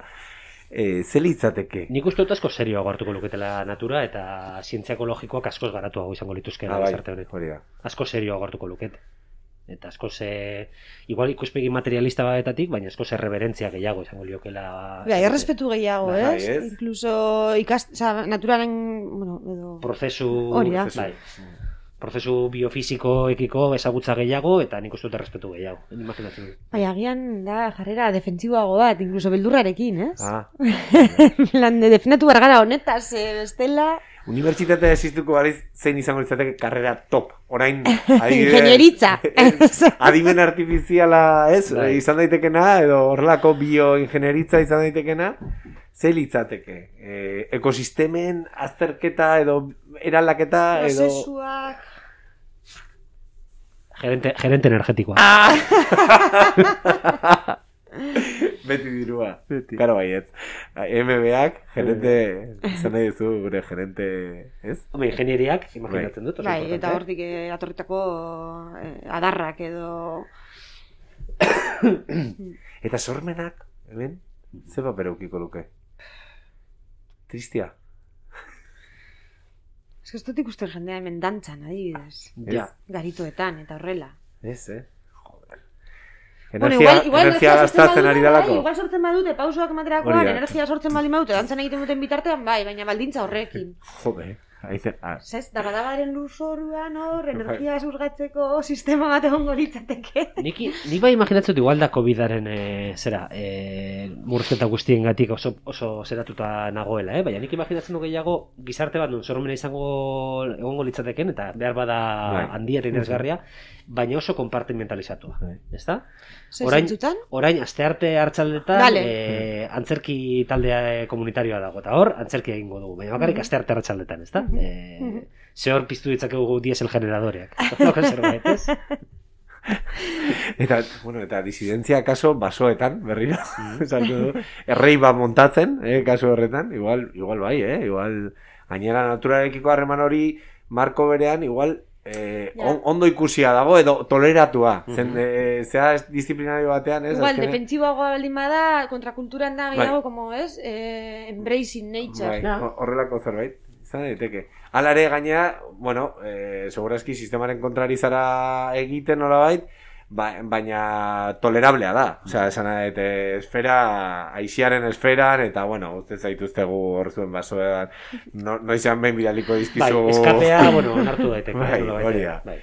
eh, ze litzateke? Nik uste dut asko serioago hartuko luketela natura eta zientzia ekologikoak askoz garatuago izango lituzke Ah, bai, gizarte honek. hori da. Asko serioago hartuko lukete. Eta asko ze... Igual ikuspegi materialista batetatik, baina asko ze reverentzia gehiago izango liokela... Bai, errespetu gehiago, Bai, ez? ez? Incluso ikast, oza, naturaren, bueno, edo... Prozesu... Hori da. Bai. Prozesu biofisikoekiko ezagutza gehiago eta nik uste dut errespetu gehiago. Imaginatzen dut. Bai, agian da jarrera defentsiboago bat, incluso beldurrarekin, ez? Ah, Lan de defendatu bargara honetaz, eh, bestela... unibertsitatea existuko bariz zein izango litzateke karrera top. Orain, adibidez... Ingenieritza. Adimen artifiziala, ez? Bai. Izan daitekena, edo horrelako bioingenieritza izan daitekena, ze litzateke? E, ekosistemen azterketa edo eraldaketa edo... Prozesuak... Gerente, gerente energetikoa. Ah. Beti dirua. Beti. Karo baietz. M B ak, gerente, izan nahi duzu gure gerente, ez? Hombre, ingenieriak, imaginatzen dut. oso Bai, importante. eta hortik eh, atorritako eh, adarrak edo... Eta sormenak, hemen, ze paper eukiko luke? Tristia. Ez que ez dut ikusten jendea hemen dantzan, adibidez. Ja. Garitoetan, eta horrela. Ez, eh? Joder. Bueno, Energia, igual, igual energia gastatzen ari bai, dalako. igual sortzen badute, pausoak Hori ematerakoan, da. energia sortzen baldin badute, dantzan egiten duten bitartean, bai, baina baldintza horrekin. Joder. Aize, ah, Zez, dabadabaren lurzoruan hor, energia zurgatzeko sistema bat egongo litzateke. Niki, ni bai imaginatzen dut igual da COVIDaren e, zera, e, murrizketa guztiengatik oso, oso zeratuta nagoela, eh? Baina nik imaginatzen du gehiago gizarte bat non sormena izango egongo litzateken eta behar bada Bai. handia eta interesgarria, baina oso konpartimentalizatua, Bai. ezta? Zer Orain, zentzutan? orain astearte hartzaldetan Vale. e, antzerki taldea komunitarioa dago eta hor antzerki egingo dugu, baina bakarrik astearte hartzaldetan, ezta? eh, zehor piztu ditzakegu diesel generadoreak. Loko zerbait, ez? Eta, bueno, eta disidentzia kaso basoetan, berriro, esaltu du, errei bat montatzen, eh, kaso horretan, igual, igual bai, eh, igual, gainera naturarekiko harreman hori, Marko berean, igual, eh, on, ondo ikusia dago, edo toleratua, zen, eh, zea disiplinario batean, ez? Igual, azkene... defentsiboagoa baldin bada, kontrakulturan da gehiago, bai. como, ez? Eh, embracing nature. Bai, horrelako zerbait, izan daiteke. Hala ere gainea, bueno, eh, segurazki sistemaren kontrari zara egiten nolabait, ba, baina tolerablea da. Osea, esan nahi, esfera, aixiaren esferan, eta, bueno, uste zaituztegu hor zuen basoean, no, noizean behin bidaliko dizkizu... Bai, eskapea, bueno, onartu daiteke. Bai, hori da. Bai.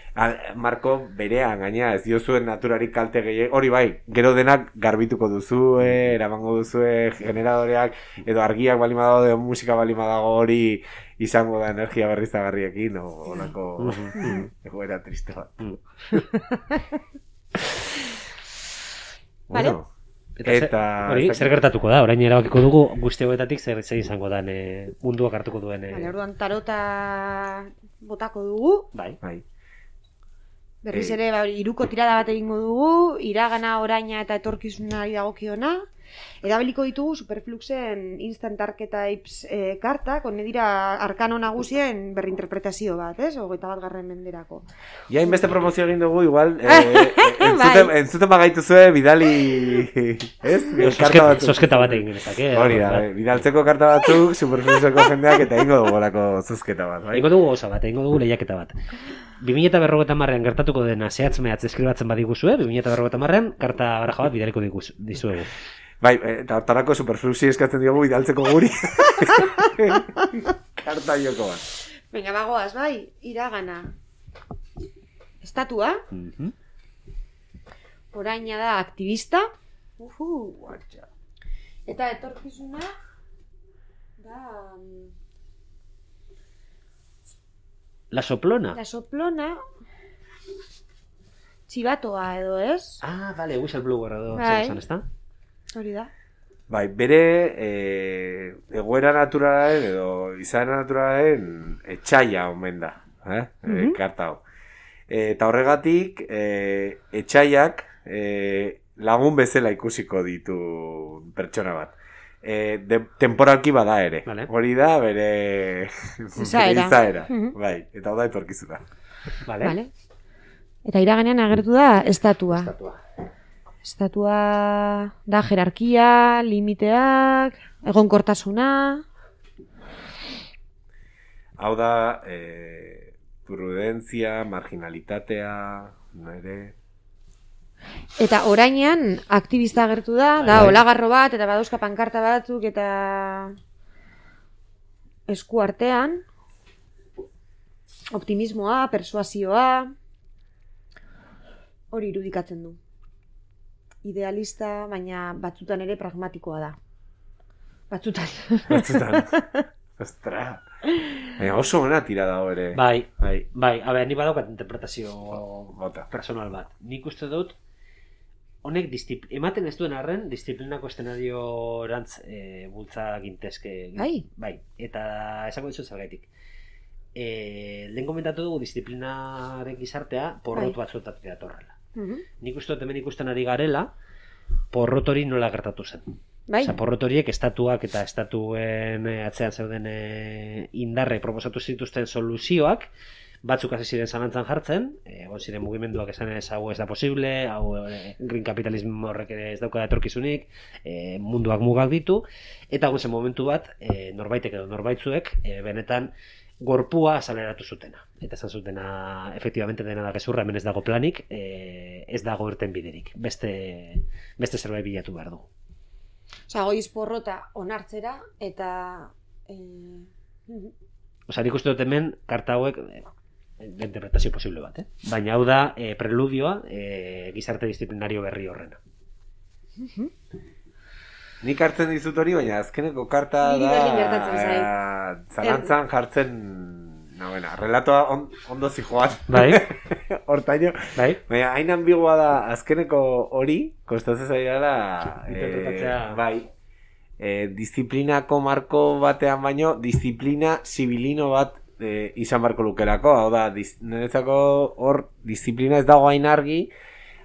Marko berean, gaina, ez diozuen naturarik kalte gehiago, hori bai, gero denak garbituko duzue, eramango duzue generadoreak, edo argiak balima dago, edo musika balima dago hori, izango da energia berriztagarriekin, o olako egoera triste bat. Vale. Bueno, eta... Hori, zer gertatuko da, orain erabakiko dugu guzti hauetatik zer zer izango den e, munduak hartuko duen... E... Vale, orduan tarota botako dugu. Bai. Bai. Berriz ere, ba, iruko tirada bat egingo dugu, iragana, oraina eta etorkizunari dagokiona. Erabiliko ditugu Superfluxen Instant Archetypes eh, kartak, hone dira arkano nagusien berrinterpretazio bat, ez? Hogeita bat garren menderako. Ja, inbeste promozio egin dugu, igual, eh, entzuten, Bai. entzuten bagaituzue bidali, ez? Karta batzuk. Zosketa bat egin genezak, eh? Hori da, eh, bidaltzeko karta batzuk, Superfluxeko jendeak, eta ingo dugu olako zozketa bat, bai? Egingo dugu osa bat, egingo dugu lehiaketa bat. bi mila berrogeita hamarrean gertatuko dena zehatz mehatz eskribatzen badiguzue, bi mila berrogeita hamarrean karta baraja bat bidaliko dizuegu. Bai, eta hortarako Superfluxi eskatzen diogu bidaltzeko guri. Karta joko bat. Venga, bagoaz, bai, iragana. Estatua. Mhm. Oraina da aktivista. Uhu, guatxa. Eta etorkizuna da... La soplona. La soplona... Txibatoa edo, ez? Ah, vale, whistleblower edo Bai. zer esan, ezta? Hori da. Bai, bere eh, egoera naturalaren edo izaera naturalaren etxaia omen da, eh? Mhm. eh, karta hau. Eh, eta horregatik, eh, etxaiak eh, lagun bezala ikusiko ditu pertsona bat. Eh, de, temporalki bada ere. Vale. Hori da bere Izaera. bere izaera. Mhm. Bai, eta hau da etorkizuna. Vale. Vale. Eta iraganean agertu da estatua. Estatua. Estatua da jerarkia, limiteak, egonkortasuna. Hau da eh, prudentzia, marginalitatea, nire... Eta orainean aktivista agertu da, da Bai. olagarro bat, eta badauzka pankarta batzuk, eta esku artean. Optimismoa, persuasioa, hori irudikatzen du. Idealista, baina batzutan ere pragmatikoa da. Batzutan. Batzutan. Ostra. Baina oso ona tira dago ere. Bai, Bai. bai, a ber, ni badaukat interpretazio Bota. personal bat. Nik uste dut, honek distipl... ematen ez duen arren, disiplinako eszenario erantz e, bultza gintezke. Bai. Bai, eta esango dizu zergaitik. E, lehen komentatu dugu disiplinaren gizartea porrot Bai. batzuetatik datorrela. Mhm. Nik uste dut hemen ikusten ari garela, porrot hori nola gertatu zen. Bai. Osa, porrot horiek estatuak eta estatuen eh, atzean zeuden eh, indarre proposatu zituzten soluzioak, batzuk hasi ziren zalantzan jartzen, eh, egon ziren mugimenduak esan ez hau ez da posible, hau eh, green capitalismo horrek ere ez dauka etorkizunik, eh, munduak mugak ditu, eta egon zen momentu bat, eh, norbaitek edo norbaitzuek, eh, benetan gorpua azaleratu zutena. Eta esan zutena, efektibamente dena da gezurra, hemen ez dago planik, eh, ez dago irten biderik. Beste, beste zerbait bilatu behar du. Osa, goiz porrota onartzera, eta... Eh... Osa, nik uste dut hemen, karta hauek, eh, interpretazio posible bat, eh? Baina hau da, eh, preludioa, eh, gizarte disiplinario berri horrena. Nik hartzen dizut hori, baina azkeneko karta Niri da... berdin gertatzen zait. eh, zalantzan jartzen... No, bueno, relatoa on, ondo zijoan. Bai, Hortaino. bai. Baina, hain ambigua da azkeneko hori, kostatzen zaidala... Interpretatzea. bai. Eh, disiplinako marko batean baino, disiplina zibilino bat e, izan barko lukelako, hau da, diz, niretzako hor disiplina ez dago hain argi,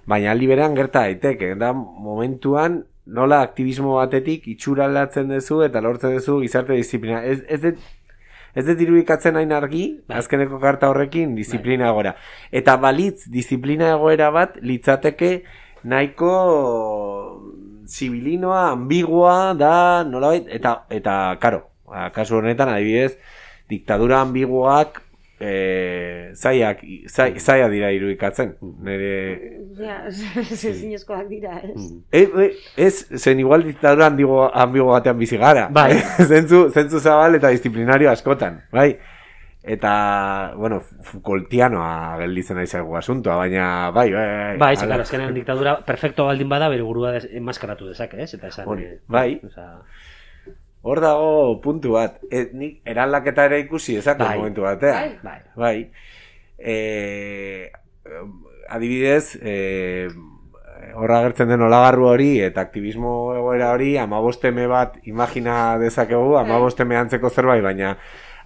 baina aldi berean gerta daiteke, da momentuan nola aktivismo batetik itxura aldatzen duzu eta lortzen duzu gizarte disiplina. Ez, ez dut Ez dut irudikatzen hain argi, azkeneko karta horrekin, disiplina egoera. Eta balitz, disiplina egoera bat, litzateke nahiko zibilinoa, ambigua da, nolabait, eta, eta, karo, kasu honetan, adibidez, diktadura ambiguak, e, zaiak, zai, zaia dira irudikatzen, nire... Ja, zinezkoak dira, ez? E, e, ez, zen igual diktadura ambiguo, ambiguo batean bizi gara. Bai. zentzu, zentzu zabal eta disiplinario askotan, bai? Eta, bueno, Foucaultianoa gelditzen aizagu asuntoa, baina, bai, bai, bai. Bai, ze, claro, azkenean diktadura perfecto baldin bada, bere burua enmaskaratu dezake, ez? Eta esan... Hori, bai. Osa... Hor dago puntu bat. E, nik eraldaketa ere ikusi ezak bai. momentu batean. Bai. Bai. E, adibidez, e, horra agertzen den olagarru hori eta aktivismo egoera hori amabosteme bat imagina dezakegu, amabosteme antzeko zerbait, baina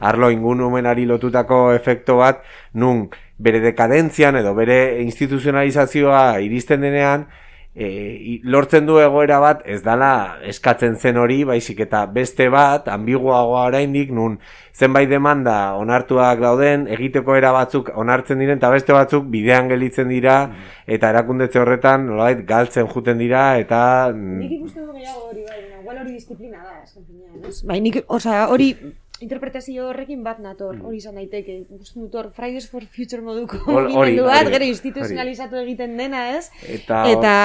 arlo ingunumenari lotutako efekto bat, nun bere dekadentzian edo bere instituzionalizazioa iristen denean, E, lortzen du egoera bat ez dala eskatzen zen hori, baizik eta beste bat, ambiguagoa oraindik, nun zenbait demanda onartuak dauden, egiteko era batzuk onartzen diren, eta beste batzuk bidean gelditzen dira, eta erakundetze horretan nolabait galtzen juten dira, eta... Nik ikusten du gehiago hori, bai, igual hori disiplina da, eskan finean, ez? Bai, nik, oza, hori... interpretazio horrekin bat nator, hori izan daiteke. Ikusten dut hor, Fridays for Future moduko mugimendu bat, gero instituzionalizatu egiten dena, ez? Eta, eta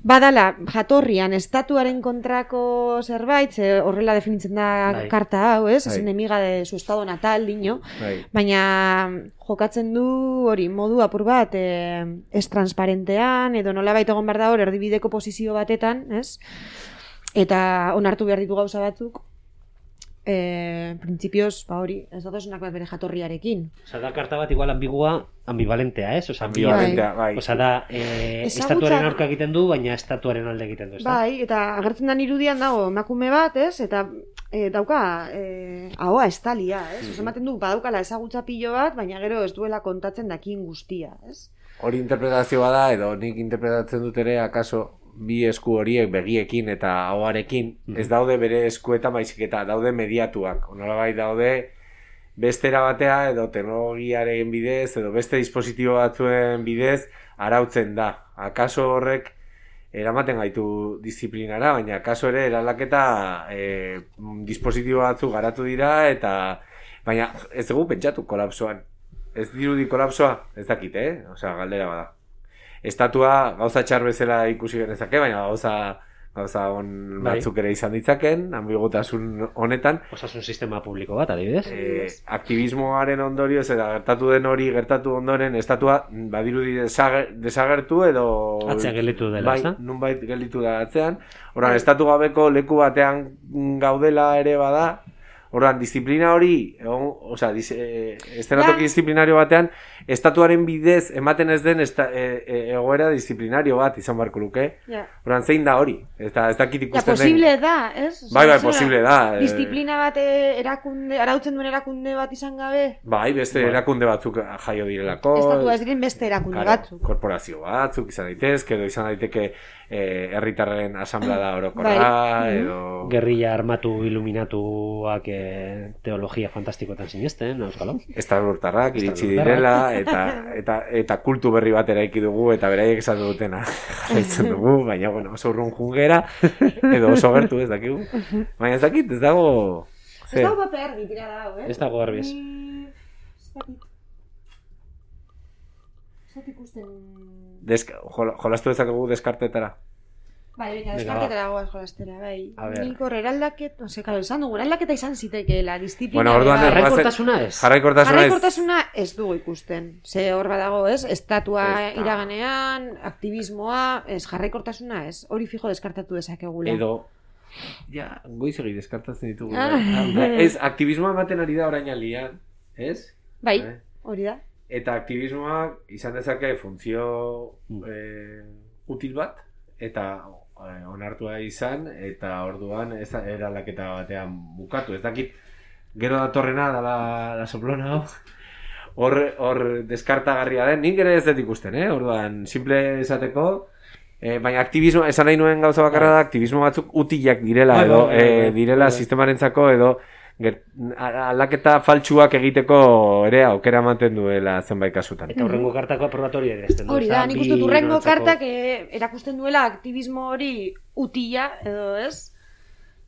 badala, jatorrian, estatuaren kontrako zerbait, ze horrela definitzen da bai. karta hau, ez? Es enemiga de su estado natal, dino. Bai. Baina jokatzen du hori, modu apur bat, eh, ez transparentean, edo nolabait egon behar da hor, erdibideko posizio batetan, ez? Eta onartu behar ditu gauza batzuk, Eh, principios, ba hori, ez datosunak bat bere jatorriarekin. Osa, da karta bat igual ambigua, ambivalentea, ez? Osa, ambivalentea, bai. Osa, da, eh, Ezagutza... estatuaren aurka egiten du, baina estatuaren alde egiten du, ez da? Bai, eta agertzen den irudian dago emakume bat, ez? Eta e, dauka, e, ahoa estalia, ez? Mm-hmm. Osa, ematen du, badaukala ezagutza pilo bat, baina gero ez duela kontatzen dakin guztia, ez? Hori interpretazioa da, edo nik interpretatzen dut ere, akaso, bi esku horiek begiekin eta ahoarekin, mm-hmm. ez daude bere eskuetan baizik eta daude mediatuak. Nolabait daude bestera batea edo teknologiaren bidez edo beste dispositibo batzuen bidez arautzen da. Akaso horrek eramaten gaitu disiplinara, baina akaso ere eraldaketa e, dispositibo batzuk garatu dira eta baina ez dugu pentsatu kolapsoan. Ez dirudi kolapsoa, ez dakit, eh? Osea, galdera bada. Estatua gauza txar bezala ikusi genezake, baina gauza gauza on batzuk ere izan ditzaken, ambiguotasun honetan. Osasun sistema publiko bat, adibidez. E, aktivismoaren ondorioz eta gertatu den hori gertatu ondoren estatua badirudi desager, desagertu edo... Atzean gelditu dela, bai, ez da? nunbait gelditu da atzean. Horan, estatu gabeko leku batean gaudela ere bada, Orduan, disiplina hori, o sea, eh, estenatoki ja. Disiplinario batean, estatuaren bidez ematen ez den esta, e, e, egoera disiplinario bat izan barko luke. Ja. Orduan, zein da hori? Eta ez dakit ikusten den. Ja, posible den. da, ez? Bai, bai, posible da. Disiplina bat erakunde, arautzen duen erakunde bat izan gabe? Bai, beste bai. Erakunde batzuk jaio direlako. Estatua ez diren beste erakunde claro, batzuk. Korporazio batzuk izan daitezke, edo izan daiteke herritarren eh, asamblada orokorra, bai. Edo... Gerrilla armatu iluminatuak eh, teologia fantastikoetan sinesten, euskalo? Estalurtarrak iritsi direla, eta, eta, eta kultu berri bat eraiki dugu, eta beraiek esan dutena jarraitzen dugu, baina bueno, oso urrun jungera, edo oso gertu ez dakigu. Baina ez dakit, ez dago... Ez dago pape argi, tira dago, eh? Ez dago garbi ez. Ez dakit. Ez dakit ikusten... Deska, jolastu dezakegu deskartetara? Bai, baina deskartetara goaz jolastera, bai. Nik hor eraldaket, no sé, claro, esan dugu, eraldaketa izan zitekeela, disiplina... Bueno, orduan... Jarraikortasuna ez. Jarraikortasuna ez. Jarraikortasuna ez dugu ikusten. Ze hor badago ez, estatua iraganean, aktivismoa, ez, jarraikortasuna ez. Hori fijo deskartatu dezakegula. Edo... Ja, goizegi deskartatzen ditugu. Ez, aktivismoa ematen ari da orain alian, ez? Bai, hori da. Eta aktivismoak izan dezake funtzio eh, util bat, eta eh, onartua izan, eta orduan ez eraldaketa batean bukatu. Ez dakit gero datorrena da la, la soplona hau. Hor, hor deskartagarria den, nik ere ez dut ikusten, eh? Orduan, simple esateko, eh, baina aktivismo, esan nahi nuen gauza bakarra da, aktivismo batzuk utilak direla, edo, eh, direla sistemarentzako, edo, Ger, aldaketa faltsuak egiteko ere aukera ematen duela zenbait kasutan. Eta hurrengo kartako aprobatoria ere ezten du. Hori da, nik uste dut hurrengo kartak eh, erakusten duela aktivismo hori utila, edo ez?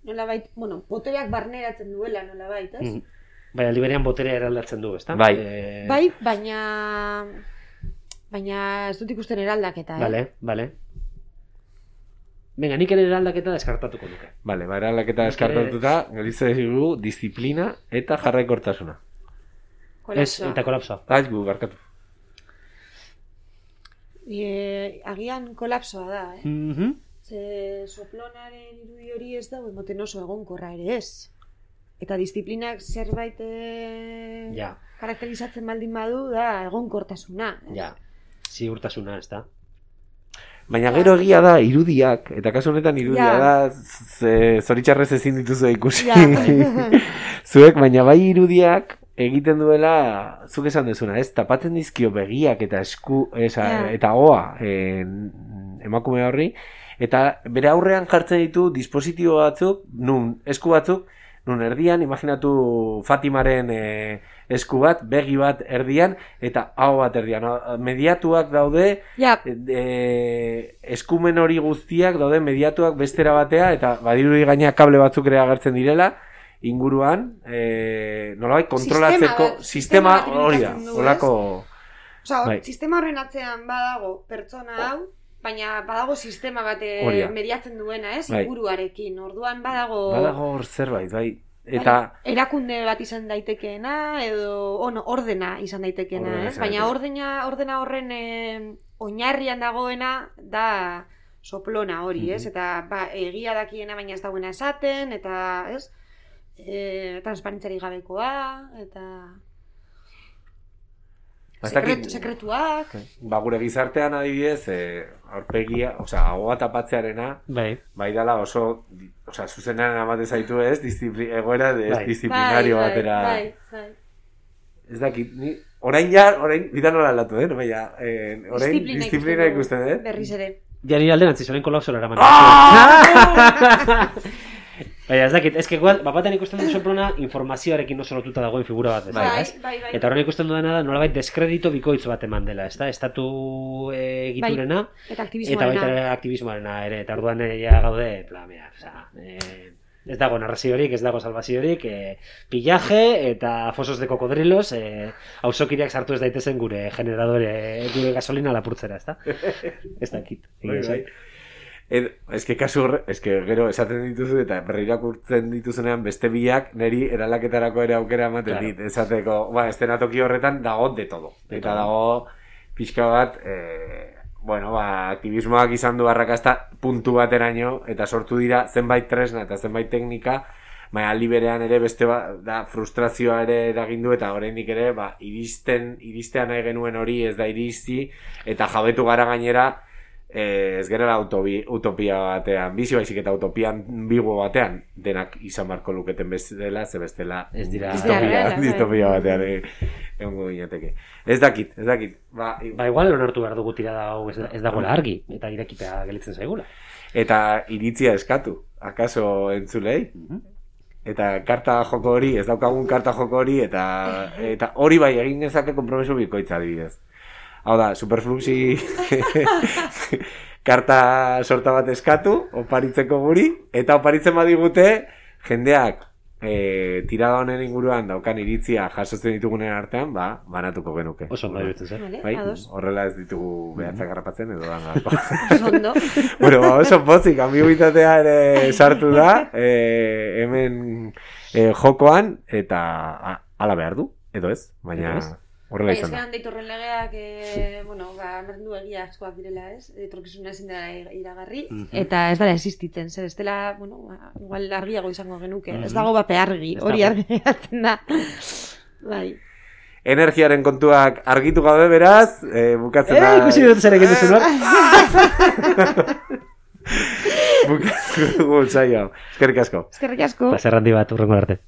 Nolabait, bueno, botereak barneratzen duela nolabait, ez? Mm. Bai, aldi berean boterea eraldatzen du, ezta? Bai. E... Bai, baina... Baina ez dut ikusten eraldaketa, eh? Bale, bale. Venga, nik ere eraldaketa deskartatuko nuke. Vale, ba, eraldaketa deskartatuta, gelitzen dugu disiplina eta jarraikortasuna. Ez, eta kolapsoa. Aiz gu, barkatu. E, agian kolapsoa da, eh? Mm-hmm. Ze soplonaren irudi hori ez dago emoten oso egonkorra ere ez. Eta disiplinak zerbait e... ja. karakterizatzen baldin badu da egonkortasuna. Eh? Ja, ziurtasuna, ez da. Baina gero egia da irudiak, eta kasu honetan irudia ja. da zoritxarrez ezin dituzu ikusi. Ja. Zuek, baina bai irudiak egiten duela, zuk esan dezuna, ez? Tapatzen dizkio begiak eta esku, esa, ja. eta hoa en, emakume horri, eta bere aurrean jartzen ditu dispositibo batzuk, nun esku batzuk, nun erdian, imaginatu Fatimaren e, esku bat, begi bat erdian, eta hau bat erdian. Mediatuak daude, ja. e, eskumen hori guztiak daude mediatuak bestera batea, eta badirudi gaina kable batzuk ere agertzen direla, inguruan, e, nolabait kontrolatzeko sistema, sistema hori da, holako... Osa, bai. Sistema horren atzean badago pertsona hau, baina badago sistema bat mediatzen duena, ez? Bai. Inguruarekin. Orduan badago... Badago hor zerbait, bai. Eta... Bai, erakunde bat izan daitekeena, edo ono, ordena izan daitekeena, ordena, ez? Baina ordena, ordena horren e, oinarrian dagoena da soplona hori, mm-hmm. ez? Eta ba, egia dakiena baina ez dagoena esaten, eta, ez? E, transparentzari gabekoa, eta... Sekretu, sekretuak. Ba, gure gizartean adibidez, eh, aurpegia, osea, ahoa tapatzearena, bai, bai dala oso, osea, zuzenean amate zaitu ez, disipli, egoera ez bai. Disciplinario bai, batera. Bai, bai. Ez dakit, ni, orain ja, orain, bidan nola aldatu, eh, no, baina, eh, orain disiplina, disiplina ikusten, eh? Berriz ere. Ja nire alden antziz, orain kolapsora eraman. Ah! Baina, ez dakit, ez que igual, bapaten ikusten dut soplona informazioarekin oso lotuta dagoen figura bat, ez bai, da, ez? Bai, bai. Eta horren ikusten dudana da, nolabait deskredito bikoitz bat eman dela, ez da? Estatu egiturena, bai. Eta aktivismoarena. Eta baita aktivismoarena ere, eta orduan ja gaude, pla, mira, oza, eh, ez dago narraziorik, ez dago salvaziorik, eh, pillaje eta fosos de cocodrilos, eh, auzokideak sartu ez daitezen gure generadore, gure gasolina lapurtzera, ez da? Ez dakit. Bai, bai. Ed, eske kasu horre, eske gero esaten dituzu eta berrirakurtzen dituzunean beste biak neri eralaketarako ere aukera ematen claro. dit. Esateko, ba, estenatoki horretan dago de todo. De eta todo. Dago pixka bat, e, bueno, ba, aktivismoak izan du arrakasta puntu bateraino eta sortu dira zenbait tresna eta zenbait teknika, baina aldi berean ere beste ba, da frustrazioa ere eragindu eta oraindik ere, ba, iristen, iristea nahi genuen hori ez da iristi eta jabetu gara gainera Eh, ez gerela utopi, utopia batean bizi baizik eta utopian bigo batean denak izan marko luketen bestela ze bestela ez dira distopia, distopia batean egongo ginateke. Ez dakit, ez dakit. Ba, ba igual onartu behar dugu tirada hau ez, ez dagoela argi eta irekita gelitzen zaigula. Eta iritzia eskatu, akaso entzulei? Mm-hmm. Eta karta joko hori, ez daukagun karta joko hori eta eta hori bai egin dezake konpromiso bikoitza adibidez. Hau da, Superfluxi karta sorta bat eskatu, oparitzeko guri, eta oparitzen badigute, jendeak e, tirada honen inguruan daukan iritzia jasotzen ditugunen artean, ba, banatuko genuke. Oso ondo irutzen zen. Bai, horrela ez ditugu behatzak garrapatzen edo da. Oso ondo. Bueno, ba, oso pozik, ambiguitatea ere sartu da, e, hemen e, jokoan, eta ala behar du, edo ez, baina... Horrela izan da. Bai, ez deitorren legeak, e, bueno, ba, merdu egia askoak direla, ez? Etorkizuna ezin dela iragarri, mm-hmm. eta ez dela existitzen, zer, ez dela, bueno, ba, igual argiago izango genuke, mm-hmm. ez dago bape argi, hori argi gaten da. Bai. Energiaren kontuak argitu gabe beraz, e, bukatzen da... Eh, ikusi dut zer egin duzu, no? Bukatzen dugu, zailo. Eskerrik asko. Eskerrik asko. Plazer handi bat, urrengo arte.